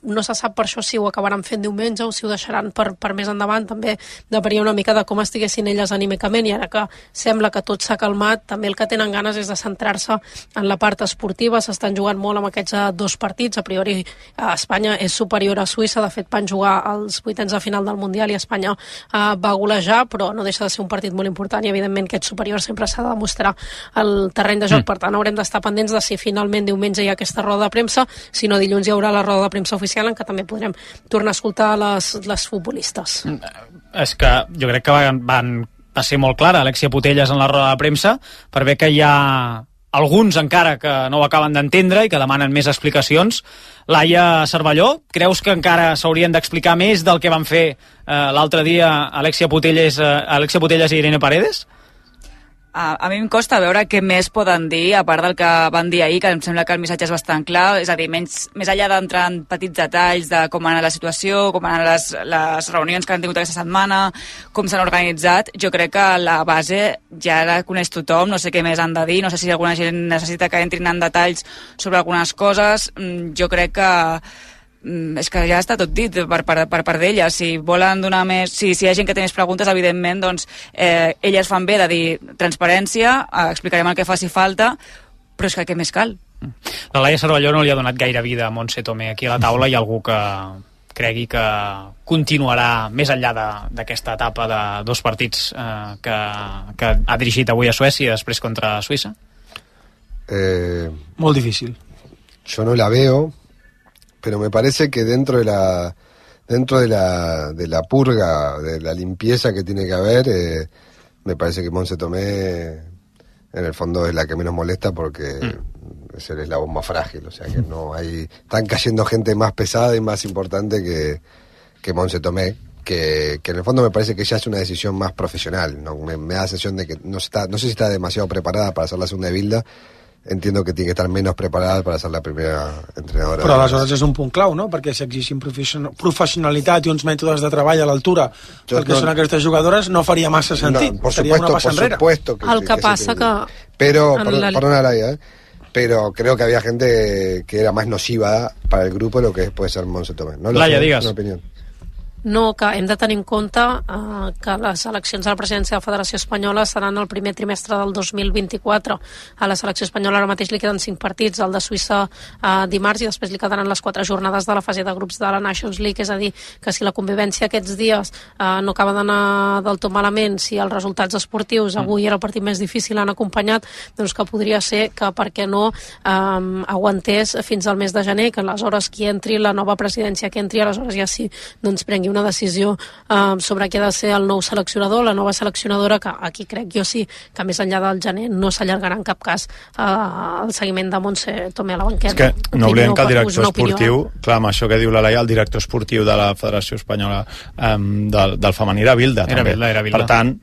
No se sap per això si ho acabaran fent diumenge o si ho deixaran per més endavant. També depenia una mica de com estiguessin elles anímicament, i ara que sembla que tot s'ha calmat, també el que tenen ganes és de centrar-se en la part esportiva. S'estan jugant molt amb aquests dos partits. A priori Espanya és superior a Suïssa, de fet van jugar als vuitens de final del Mundial i Espanya va golejar, però no deixa de ser un partit molt important i evidentment aquest superior sempre s'ha de demostrar al terreny de joc. Per tant, haurem d'estar pendents de si finalment diumenge hi ha aquesta roda de premsa, si no dilluns hi haurà la roda de premsa oficial en què també podrem tornar a escoltar les futbolistes. És que jo crec que va ser molt clara Alexia Putellas en la roda de premsa, per bé que hi ha alguns encara que no ho acaben d'entendre i que demanen més explicacions. Laia Cervelló, creus que encara s'haurien d'explicar més del que van fer l'altre dia Alexia Putellas i Irene Paredes? A mi em costa veure què més poden dir, a part del que van dir ahir, que em sembla que el missatge és bastant clar, és a dir, més enllà d'entrar en petits detalls de com ha anat la situació, com han anat les reunions que han tingut aquesta setmana, com s'han organitzat, jo crec que la base ja la coneix tothom, no sé què més han de dir, no sé si alguna gent necessita que entrin en detalls sobre algunes coses. Jo crec que és que ja està tot dit per part d'ella. Si volen donar més, si hi ha gent que té més preguntes, evidentment, doncs elles fan bé de dir transparència, explicarem el que faci falta, però és que què més cal? La Laia Cervelló no li ha donat gaire vida a Montse Tomé aquí a la taula. Hi ha algú que cregui que continuarà més enllà d'aquesta etapa de dos partits que ha dirigit avui a Suècia i després contra Suïssa? Molt difícil. Jo no la veo, pero me parece que dentro de la purga, de la limpieza que tiene que haber, me parece que Montse Tomé en el fondo es la que menos molesta porque es el eslabón más frágil, o sea que están cayendo gente más pesada y más importante que Montse Tomé, que en el fondo me parece que ya es una decisión más profesional, ¿no? Me da la sensación de que no sé si está demasiado preparada para hacer la segunda de Bilda. Entiendo que tiene que estar menos preparada para ser la primera entrenadora. Però aleshores és un punt clau, no? Perquè si exigim professionalitat i uns mètodes de treball a l'altura del que són aquestes jugadores, no faria massa sentit. Seria una passa enrere. El que passa que... Pero, perdona Laia, pero creo que había gente que era más nociva para el grupo de lo que puede ser Montse Tomé. No lo sé, digues. Una opinión. No, que hem de tenir en compte que les eleccions a la presidència de la Federació Espanyola seran el primer trimestre del 2024. A la selecció espanyola ara mateix li queden 5 partits, el de Suïssa dimarts, i després li quedaran les 4 jornades de la fase de grups de la Nations League. És a dir, que si la convivència aquests dies no acaba d'anar del tot malament, si els resultats esportius avui era el partit més difícil, han acompanyat, doncs que podria ser que, per què no, aguantés fins al mes de gener, que aleshores qui entri, la nova presidència que entri, aleshores ja sí, doncs prengui una decisió sobre qui ha de ser el nou seleccionador, la nova seleccionadora, que aquí crec jo sí que més enllà del gener no s'allargarà en cap cas el seguiment de Montse Tomé a la banqueta. És que no oblidem que el director esportiu, clar, amb això que diu la Laia, el director esportiu de la Federació Espanyola del femení era Bilda, també. Era Bilda. Per tant,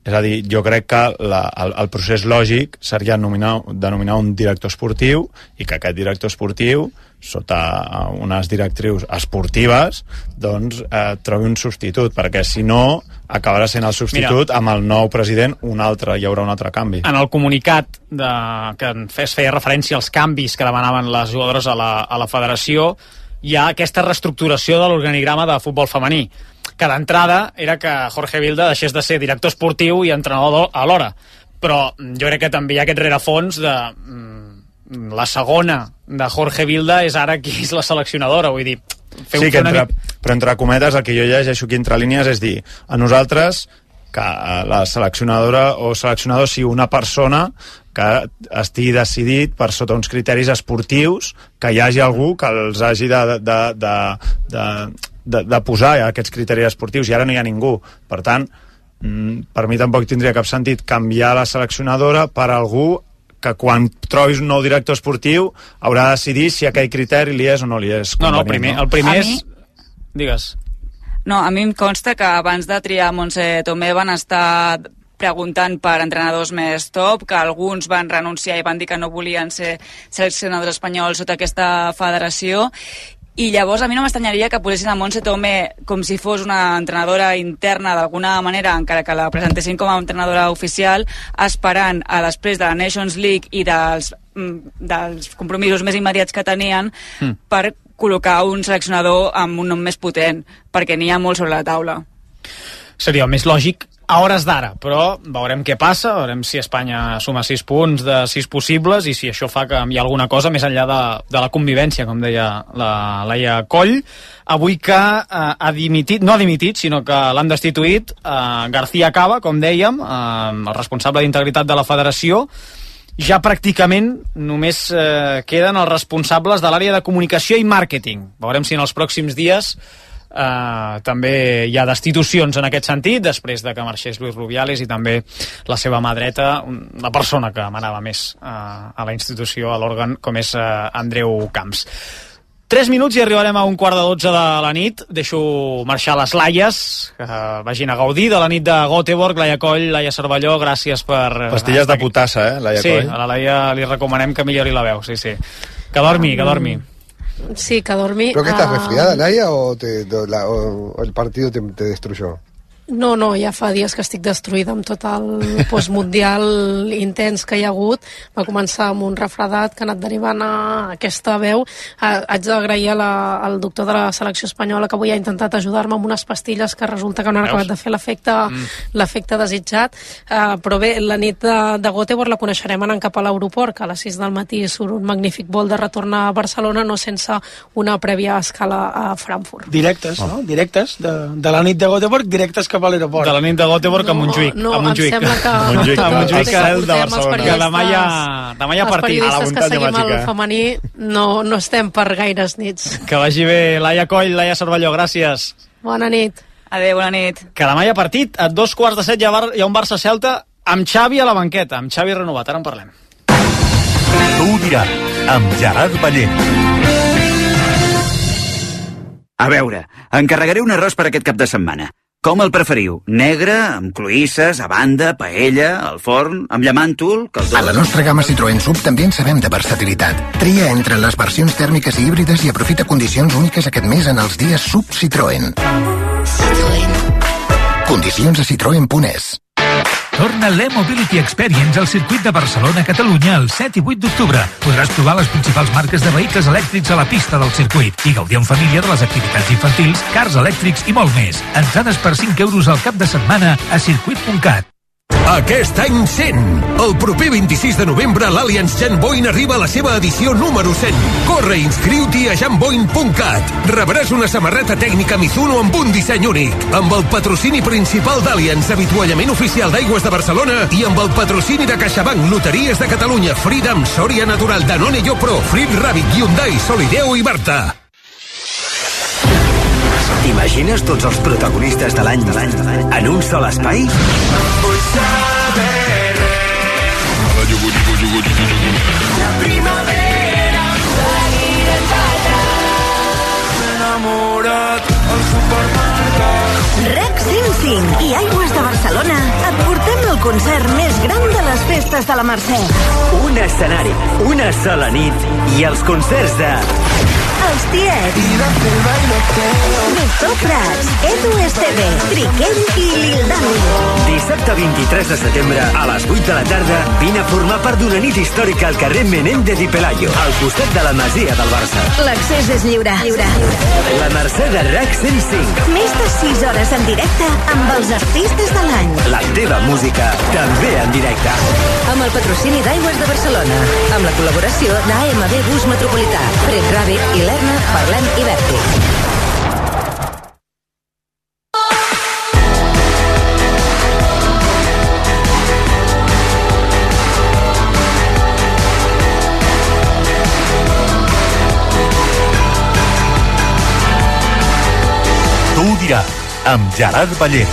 és a dir, jo crec que el procés lògic seria denominar un director esportiu i que aquest director esportiu, sota unes directrius esportives, doncs trobi un substitut, perquè si no acabarà sent el substitut amb el nou president hi haurà un altre canvi. En el comunicat que es feia referència als canvis que demanaven les jugadores a la federació, hi ha aquesta reestructuració de l'organigrama de futbol femení, que d'entrada era que Jorge Vilda deixés de ser director esportiu i entrenador alhora, però jo crec que també hi ha aquest rerefons de la segona de Jorge Vilda és ara qui és la seleccionadora, vull dir, però entre cometes el que jo llegeixo aquí entre línies és dir, a nosaltres que la seleccionadora o seleccionador sigui una persona que estigui decidit per sota uns criteris esportius, que hi hagi algú que els hagi de posar aquests criteris esportius, i ara no hi ha ningú. Per tant, per mi tampoc tindria cap sentit canviar la seleccionadora per algú que quan trobis un nou director esportiu haurà de decidir si aquell criteri li és o no li és convenient. El primer és... Digues. No, a mi em consta que abans de triar Montse Tomé van estar preguntant per entrenadors més top, que alguns van renunciar i van dir que no volien ser seleccionadors espanyols sota aquesta federació, i llavors a mi no m'estranyaria que posessin a Montse Tomé com si fos una entrenadora interna d'alguna manera, encara que la presentessin com a entrenadora oficial, esperant a després de la Nations League i dels compromisos més immediats que tenien per col·locar un seleccionador amb un nom més potent, perquè n'hi ha molt sobre la taula. Seria el més lògic a hores d'ara, però veurem què passa, veurem si Espanya suma 6 punts de 6 possibles i si això fa canviar alguna cosa més enllà de la convivència, com deia la Laia Coll. Avui que ha dimitit, no ha dimitit, sinó que l'han destituït García Cava, com dèiem, el responsable d'integritat de la federació. Ja pràcticament només queden els responsables de l'àrea de comunicació i màrqueting. Veurem si en els pròxims dies també hi ha destitucions en aquest sentit, després de que marxés Luis Rubiales i també la seva mà dreta, la persona que manava més a la institució, a l'òrgan, com és Andreu Camps. 3 minuts i arribarem a 11:45 de la nit. Deixo marxar les Laies, que vagin a gaudir de la nit de Göteborg. Laia Coll, Laia Cervelló, gràcies per... Pastilles de potassa, Laia Coll? Sí, a la Laia li recomanem que millori la veu, sí. Que dormi, que dormi. Sí, que dormi. ¿Pero que estás resfriada, Laia, o el partido te destruyó? No, ja fa dies que estic destruïda amb tot el postmundial intens que hi ha hagut. Va començar amb un refredat que ha anat derivant a aquesta veu. Haig d'agrair al doctor de la selecció espanyola que avui ha intentat ajudar-me amb unes pastilles que resulta que no han acabat de fer l'efecte desitjat. Però bé, la nit de Göteborg la coneixerem anant cap a l'aeroport, que a les 6 del matí surt un magnífic vol de retorn a Barcelona, no sense una prèvia escala a Frankfurt. Directes, no? Directes, de la nit de Göteborg, directes cap a l'aeroport. De la nit de Göteborg a Montjuïc. No, em sembla que... Montjuïc, el de Barcelona. Demà hi ha partit. Els periodistes que seguim el femení no estem per gaires nits. Que vagi bé. Laia Coll, Laia Cervelló, gràcies. Bona nit. Adéu, bona nit. Que demà hi ha partit. A 2:45 hi ha un Barça-Celta amb Xavi a la banqueta, amb Xavi renovat. Ara en parlem. Tu ho diràs, amb Gerard Ballent. A veure, encarregaré un arròs per aquest cap de setmana. Com el preferiu? Negre, amb cloïsses, a banda, paella, al forn, amb llamàntol, caldós... A la nostra gamma Citroën Sub també en sabem de versatilitat. Tria entre les versions tèrmiques i híbrides i aprofita condicions úniques aquest mes en els dies Sub Citroën. Citroën. Condicions a citroen.es. Torna l'E-Mobility Experience al circuit de Barcelona-Catalunya el 7 i 8 d'octubre. Podràs provar les principals marques de vehicles elèctrics a la pista del circuit i gaudir en família de les activitats infantils, cars elèctrics i molt més. Entrades per 5 euros al cap de setmana a circuit.cat. Aquest any 100. El proper 26 de novembre l'Allianz Janboin arriba a la seva edició número 100. Corre i inscriu-t'hi a janboin.cat. Rebràs una samarreta tècnica Mizuno amb un disseny únic, amb el patrocini principal d'Allianz, avituallament oficial d'Aigües de Barcelona, i amb el patrocini de CaixaBank, Loteries de Catalunya, Freedom, Soria Natural, Danone Pro, Frit Rabbit, Hyundai, Solideo i Barta. T'imagines tots els protagonistes de l'any en un sol espai? Vull saber la primavera seguirem allà. M'he enamorat al supermercat. REC 105 i Aigües de Barcelona et portem el concert més gran de les festes de la Mercè. Un escenari, una sola nit i els concerts de... Els Tiets, Víctor Prats, Edu Esteve, Triquell i Lil Dami. Dissabte 23 de setembre a les 8 de la tarda vine a formar part d'una nit històrica al carrer Menéndez i Pelayo, al costat de la Masia del Barça. L'accés és lliure. La Mercè de RAC 105. Més de 6 hores en directe amb els artistes de l'any. La teva música també en directe. Amb el patrocini d'Aigües de Barcelona, amb la col·laboració d'AMB Bus Metropolità, Fred Rabbit i Lerna, Parlem i Vèrtic. Tu ho diràs, amb Gerard Ballera.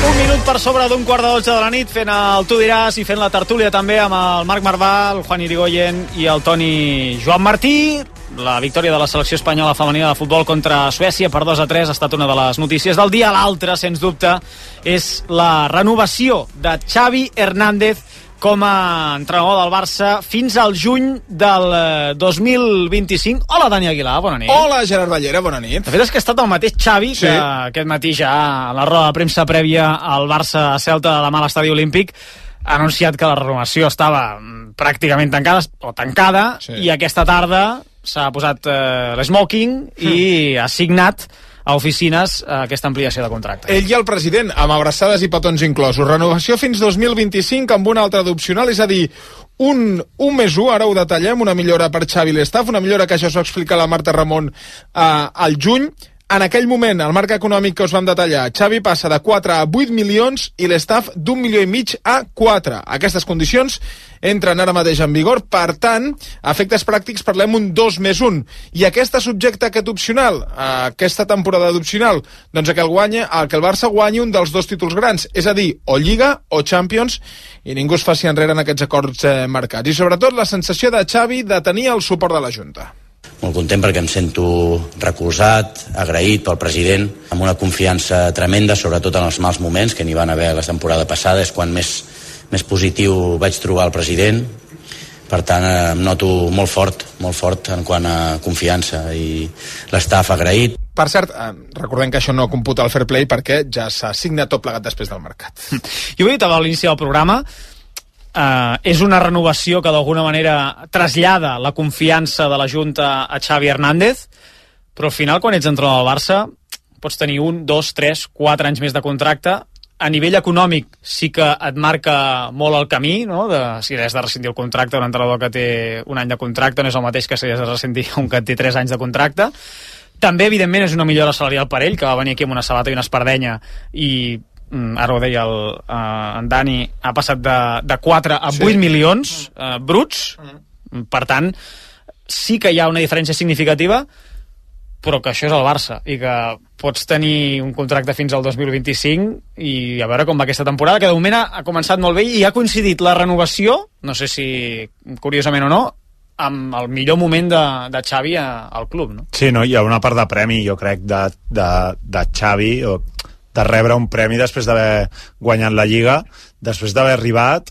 Un minut per sobre d'un quart de 12 de la nit, fent el Tu diràs i fent la tertúlia també amb el Marc Marvà, el Juan Irigoyen i el Toni Joan Martí. La victòria de la selecció espanyola femenina de futbol contra Suècia per 2-3 ha estat una de les notícies del dia. L'altra, sens dubte, és la renovació de Xavi Hernández com a entrenador del Barça fins al juny del 2025. Hola, Dani Aguilar, bona nit. Hola, Gerard Ballera, bona nit. De fet, és que ha estat el mateix Xavi que aquest matí ja a la roda de premsa prèvia al Barça-Celta demà a l'Estadi Olímpic ha anunciat que la renovació estava pràcticament tancada i aquesta tarda s'ha posat l'esmoking i ha signat a oficines aquesta ampliació de contracte. Ell i el president, amb abraçades i petons inclosos. Renovació fins 2025 amb una altra d'opcional, és a dir, un més 1, ara ho detallem, una millora per Xavi i l'estaf, una millora que això s'ho explica la Marta Ramon al juny. En aquell moment, el marc econòmic que us vam detallar, Xavi passa de 4 a 8 milions i l'estaf d'1,5 milió a 4. Aquestes condicions entren ara mateix en vigor, per tant, a efectes pràctics parlem un 2+1. I aquesta subjecta aquest opcional, aquesta temporada d'opcional, doncs que el Barça guanyi un dels 2 títols grans, és a dir, o Lliga o Champions, i ningú es faci enrere en aquests acords marcats. I sobretot la sensació de Xavi de tenir el suport de la Junta. Molt content perquè em sento recolzat, agraït pel president, amb una confiança tremenda, sobretot en els mals moments que n'hi van haver la temporada passada, és quan més positiu vaig trobar el president. Per tant, em noto molt fort en quant a confiança i l'estaf agraït. Per cert, recordem que això no computa el fair play perquè ja s'ha signat tot plegat després del mercat. Jo ho he dit a l'inici del programa, és una renovació que d'alguna manera trasllada la confiança de la Junta a Xavi Hernández, però al final quan ets entrenador del Barça pots tenir 1, 2, 3, 4 anys més de contracte. A nivell econòmic sí que et marca molt el camí, no? Si has de rescindir el contracte, un entrenador que té un any de contracte no és el mateix que si has de rescindir un que té 3 anys de contracte. També, evidentment, és una millora salarial per ell, que va venir aquí amb una sabata i una espardenya i ara ho deia en Dani, ha passat de 4 a 8 milions bruts. Per tant, sí que hi ha una diferència significativa, però que això és el Barça i que pots tenir un contracte fins al 2025 i a veure com va aquesta temporada, que de moment ha començat molt bé i ha coincidit la renovació, no sé si curiosament o no, amb el millor moment de Xavi al club, no? Sí, no, hi ha una part de premi, jo crec, de Xavi, o de rebre un premi després d'haver guanyat la Lliga, després d'haver arribat.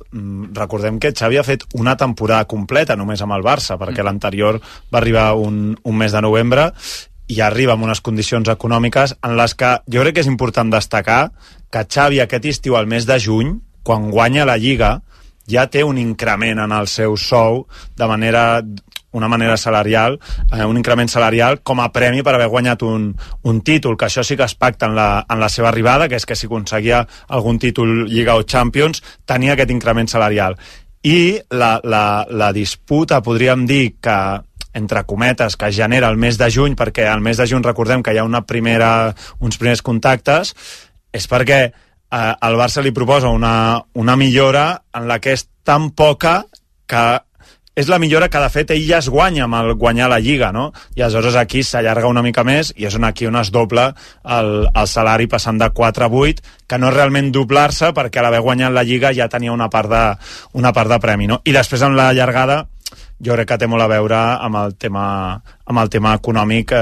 Recordem que Xavi ha fet una temporada completa només amb el Barça, perquè l'anterior va arribar un mes de novembre, i arriba amb unes condicions econòmiques en les que jo crec que és important destacar que Xavi aquest estiu, al mes de juny, quan guanya la Lliga, ja té un increment en el seu sou una manera salarial, un increment salarial com a premi per haver guanyat un títol, que això sí que es pacta en la seva arribada, que és que si aconseguia algun títol Lliga o Champions, tenia aquest increment salarial. I la disputa, podríem dir, que entre cometes, que es genera el mes de juny, perquè al mes de juny recordem que hi ha uns primers contactes, és perquè el Barça li proposa una millora en la que és tan poca que és la millora que de fet ell ja es guanya amb el guanyar la Lliga, no? I aleshores aquí s'allarga una mica més i és aquí on es dobla el salari passant de 4 a 8, que no és realment doblar-se perquè a l'haver guanyat la Lliga ja tenia una part de premi, no? I després amb la llargada jo crec que té molt a veure amb el tema econòmic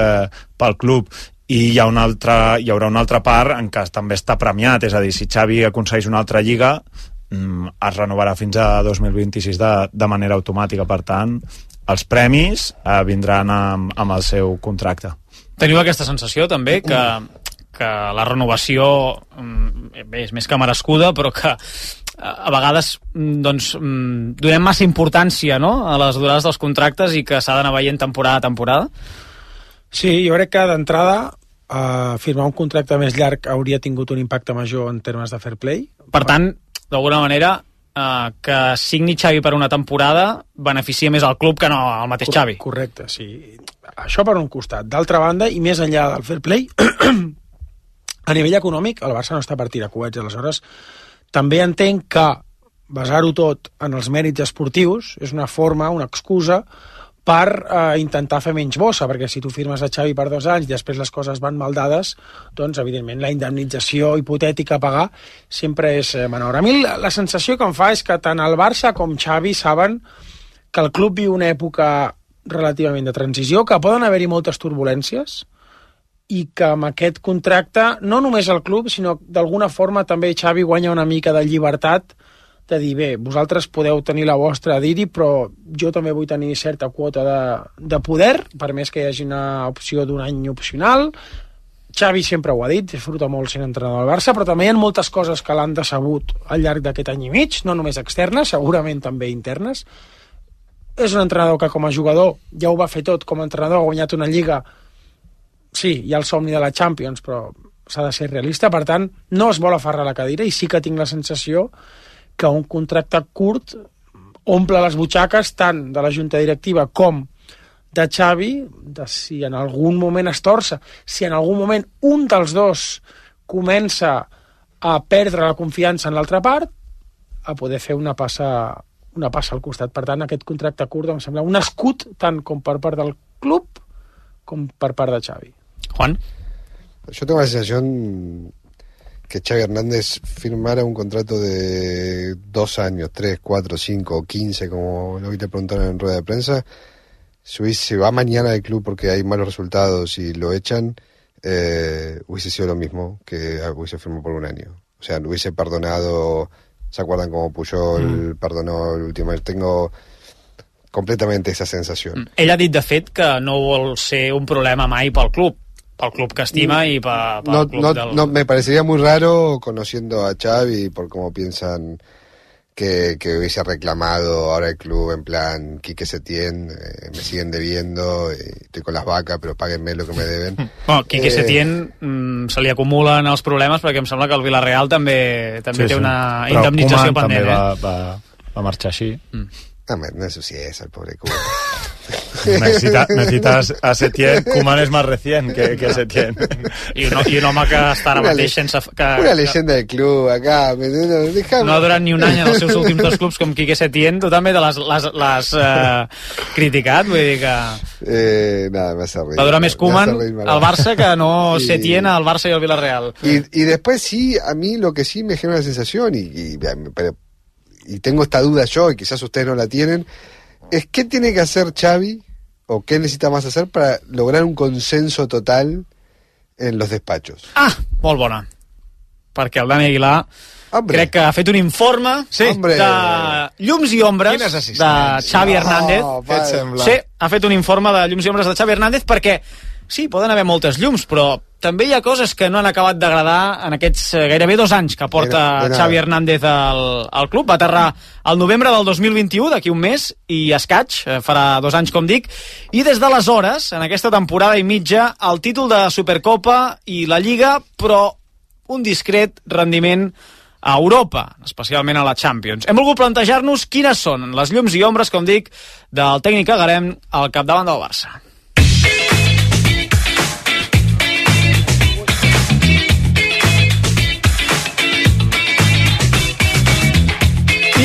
pel club. I hi haurà una altra part en què també està premiat, és a dir, si Xavi aconsegueix una altra Lliga es renovarà fins a 2026 de manera automàtica. Per tant, els premis vindran amb el seu contracte. Teniu aquesta sensació també que la renovació és més que merescuda, però que a vegades donem massa importància, no?, a les durades dels contractes i que s'ha d'anar veient temporada a temporada? Sí, jo crec que d'entrada firmar un contracte més llarg hauria tingut un impacte major en termes de fair play. Per tant, d'alguna manera, que signi Xavi per una temporada beneficia més al club que no al mateix Xavi. Correcte, sí. Això per un costat. D'altra banda, i més enllà del fair play, a nivell econòmic, el Barça no està per tirar coets. Aleshores, també entenc que basar-ho tot en els mèrits esportius és una forma, una excusa, per intentar fer menys bossa, perquè si tu firmes a Xavi per 2 anys i després les coses van mal dades, doncs evidentment la indemnització hipotètica a pagar sempre és menor. A mi la sensació que em fa és que tant el Barça com Xavi saben que el club viu una època relativament de transició, que poden haver-hi moltes turbulències i que amb aquest contracte no només el club, sinó d'alguna forma també Xavi guanya una mica de llibertat de dir, bé, vosaltres podeu tenir la vostra a dir-hi, però jo també vull tenir certa quota de poder, per més que hi hagi una opció d'un any opcional. Xavi sempre ho ha dit, disfruta molt sent entrenador del Barça, però també hi ha moltes coses que l'han decebut al llarg d'aquest any i mig, no només externes, segurament també internes. És un entrenador que com a jugador ja ho va fer tot, com a entrenador ha guanyat una Lliga. Sí, hi ha el somni de la Champions, però s'ha de ser realista, per tant, no es vol aferrar a la cadira, i sí que tinc la sensació que un contracte curt omple les butxaques tant de la junta directiva com de Xavi, de si en algun moment es torça, si en algun moment un dels dos comença a perdre la confiança en l'altra part, a poder fer una passa al costat. Per tant, aquest contracte curt em sembla un escut tant com per part del club com per part de Xavi. Juan? Yo tengo la sensación que Xavi Hernández firmara un contrato de 2 años, 3, 4, 5 o 15, como lo que te preguntaron en rueda de prensa. Si se va mañana del club porque hay malos resultados y lo echan, hubiese sido lo mismo que hubiese firmado por 1 año. O sea, hubiese perdonado. ¿Se acuerdan cómo Puyol perdonó el último año? Tengo completamente esa sensación. Ell ha dit, de fet, que no vol ser un problema mai pel club que estima y para el club no, me parecería muy raro, conociendo a Xavi, por cómo piensan que hubiese reclamado ahora el club en plan Quique Setién, me siguen debiendo, estoy con las vacas, però páguenme lo que me deben. Bueno, Quique Setién se li acumulen els problemes perquè em sembla que el Villarreal també té una indemnització pendent. Però Koeman també va marxar així. No ensucies al pobre Koeman. Necesitas a Setién. Koeman es más recién que Setién. I un home que està ara mateix sense... Una leyenda del club acá. No ha durat ni un any en els seus últims 2 clubs com Quique Setién. Tu també l'has criticat, vull dir que... Nada, me hace reír. Va durar més Koeman al Barça que no Setién al Barça y al Villarreal. Y después sí, a mí lo que sí me genera una sensación, y tengo esta duda yo, y quizás ustedes no la tienen, es qué tiene que hacer Xavi o qué necesita más hacer para lograr un consenso total en los despachos. Molt bona. Perquè el Dani Aguilar crec que ha fet un informe de llums i ombres de Xavi Hernández. Què et sembla? Sí, ha fet un informe de llums i ombres de Xavi Hernández perquè sí, poden haver moltes llums, però també hi ha coses que no han acabat d'agradar en aquests gairebé 2 anys que porta Xavi Hernández al club. Va aterrar al novembre del 2021, d'aquí un mes, i escaig, farà 2 anys, com dic, i des d'aleshores, en aquesta temporada i mitja, el títol de Supercopa i la Lliga, però un discret rendiment a Europa, especialment a la Champions. Hem volgut plantejar-nos quines són les llums i ombres, com dic, del tècnic Agarem al capdavant del Barça.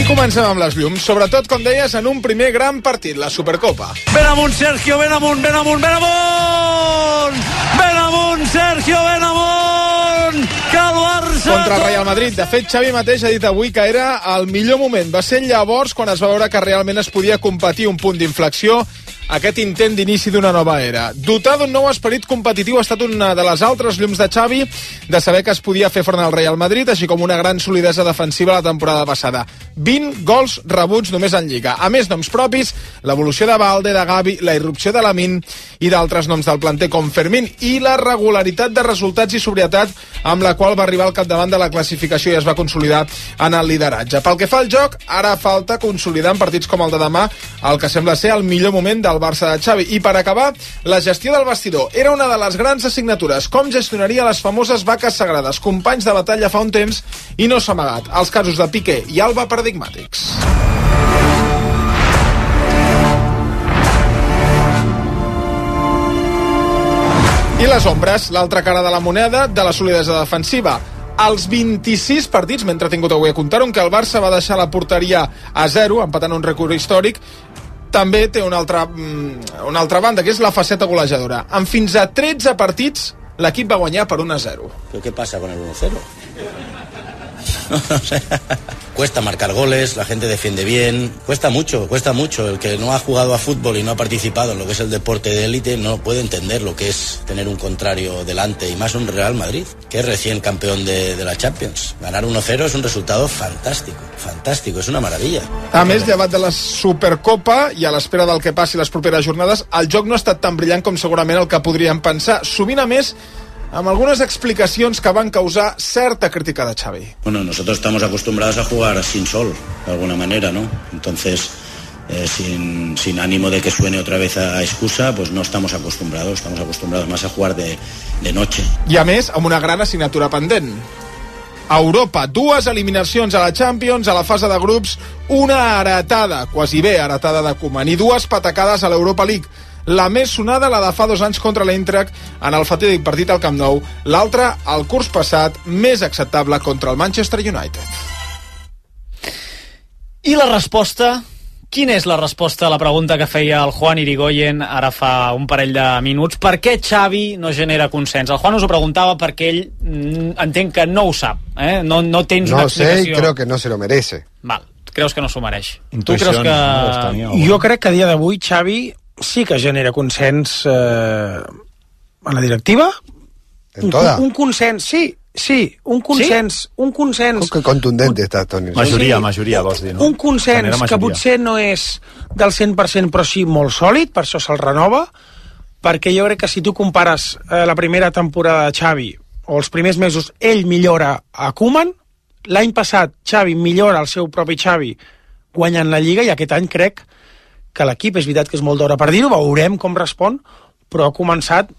Comencem amb les llums, sobretot, com deies, en un primer gran partit, la Supercopa. Ben amunt, Sergio, ben amunt, ben amunt, ben amunt! Ben amunt, Sergio, ben amunt! Que el Barça... Contra el Real Madrid. De fet, Xavi mateix ha dit avui que era el millor moment. Va ser llavors quan es va veure que realment es podia competir un punt d'inflexió, aquest intent d'inici d'una nova era. Dotar d'un nou esperit competitiu ha estat una de les altres llums de Xavi, de saber que es podia fer front al Real Madrid, així com una gran solidesa defensiva la temporada passada. 20 gols rebuts només en Lliga. A més noms propis, l'evolució de Valde, de Gavi, la irrupció de Lamine i d'altres noms del planter com Fermín i la regularitat de resultats i sobrietat amb la qual va arribar al capdavant de la classificació i es va consolidar en el lideratge. Pel que fa al joc, ara falta consolidar en partits com el de demà el que sembla ser el millor moment del Barça de Xavi. I per acabar, la gestió del vestidor era una de les grans assignatures. Com gestionaria les famoses vaques sagrades, companys de batalla fa un temps i no s'ha amagat. Els casos de Piqué i Alba paradigmàtics. I les ombres, l'altra cara de la moneda de la solidesa defensiva. Als 26 partits, m'he entretingut avui a comptar que el Barça va deixar la porteria a 0, empatant un rècord històric. També té una altra banda, que és la faceta golejadora. En fins a 13 partits, l'equip va guanyar per 1-0. ¿Pero qué pasa con el 1-0? No sé. Cuesta marcar goles, la gente defiende bien, cuesta mucho. El que no ha jugado a fútbol y no ha participado en lo que es el deporte de élite no puede entender lo que es tener un contrario delante, y más un Real Madrid, que es recién campeón de la Champions. Ganar 1-0 es un resultado fantástico, es una maravilla. A més, llevat de la Supercopa i a l'espera del que passi les properes jornades, el joc no ha estat tan brillant com segurament el que podríem pensar. Sovint, a més, amb algunes explicacions que van causar certa crítica de Xavi. Bueno, nosotros estamos acostumbrados a jugar sin sol, de alguna manera, ¿no? Entonces, sin ánimo de que suene otra vez a excusa, pues no estamos acostumbrados más a jugar de noche. I a més, amb una gran assignatura pendent. A Europa, 2 eliminacions a la Champions, a la fase de grups, una heretada, quasi bé heretada de Koeman, i 2 patacades a l'Europa League. La més sonada, la de fa 2 anys contra l'Eintracht en el fatídic partit al Camp Nou. L'altra, el curs passat, més acceptable contra el Manchester United. I la resposta? Quina és la resposta a la pregunta que feia el Juan Irigoyen ara fa un parell de minuts? Per què Xavi no genera consens? El Juan us ho preguntava perquè ell entenc que no ho sap. No tens una explicació. No sé, creo que no se lo merece. Val, creus que no s'ho mereix. Tu creus que... Jo crec que a dia d'avui Xavi sí que genera consens a la directiva. En toda. Un consens, sí, un consens. Que contundente està, Toni. Majoria, vols dir, no? Un consens que potser no és del 100%, però sí molt sòlid, per això se'l renova, perquè jo crec que si tu compares la primera temporada de Xavi o els primers mesos, ell millora a Koeman, l'any passat Xavi millora el seu propi Xavi guanyant la Lliga, i aquest any crec que l'equip, és veritat que és molt d'hora per dir-ho, veurem com respon, però ha començat,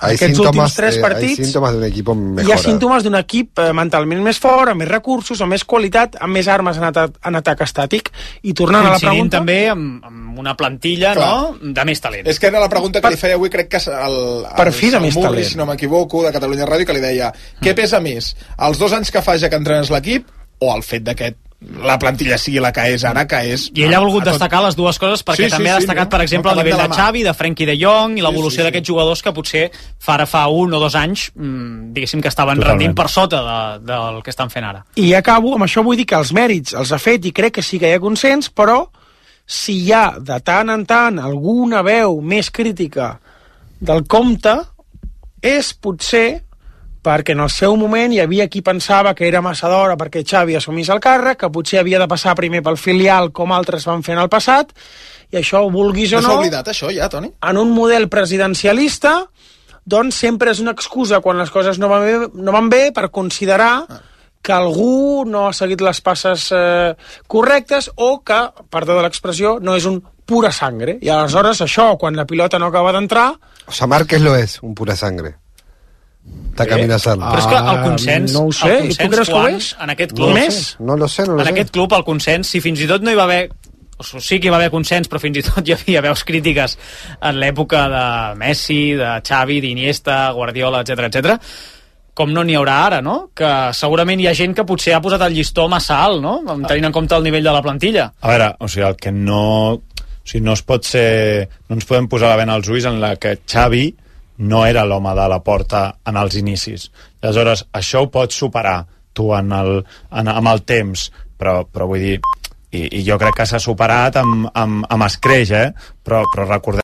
aquests últims 3 partits, hi ha símptomes d'un equip mejora. Hi ha símptomes d'un equip mentalment més fort, amb més recursos, amb més qualitat, amb més armes en atac estàtic. I tornant a la pregunta... també amb una plantilla, no?, de més talent. És que era la pregunta que li feia avui, crec que per fi de més talent. Si no m'equivoco, de Catalunya Ràdio, que li deia, què pesa més, els 2 anys que fa ja que entrenes l'equip o el fet d'aquest la plantilla sigui la que és ara, que és... I ell ha volgut destacar les dues coses perquè també ha destacat, per exemple, el nivell de Xavi, de Frenkie de Jong i l'evolució d'aquests jugadors que potser fa 1 o 2 anys diguéssim que estaven rendint per sota del que estan fent ara. I acabo, amb això vull dir que els mèrits els ha fet i crec que sí que hi ha consens, però si hi ha de tant en tant alguna veu més crítica del compte, és potser perquè en el seu moment hi havia qui pensava que era massa d'hora perquè Xavi assumís el càrrec, que potser havia de passar primer pel filial com altres van fer en el passat, i això, vulguis o no... No s'ha oblidat això ja, Toni? En un model presidencialista, doncs sempre és una excusa quan les coses no van bé per considerar que algú no ha seguit les passes correctes o que, perdó de l'expressió, no és un pura sangre. I aleshores això, quan la pilota no acaba d'entrar... O sea, Márquez lo es, un pura sangre. Está caminando. Però és que el consens... No ho sé, el consens, tu creus que ho Juan, és? En aquest club... No lo sé. En aquest club, el consens, si fins i tot no hi va haver... O sí que hi va haver consens, però fins i tot hi havia veus crítiques en l'època de Messi, de Xavi, d'Iniesta, Guardiola, etc, com no n'hi haurà ara, no? Que segurament hi ha gent que potser ha posat el llistó massa alt, no? Tenint en compte el nivell de la plantilla. A veure, o sigui, el que no... O sigui, no es pot ser... No ens podem posar la vena als ulls en la que Xavi no era l'home de la porta en els inicis. I aleshores, això ho pots superar tu amb el temps, però vull dir... I jo crec que s'ha superat amb escreix, però recordem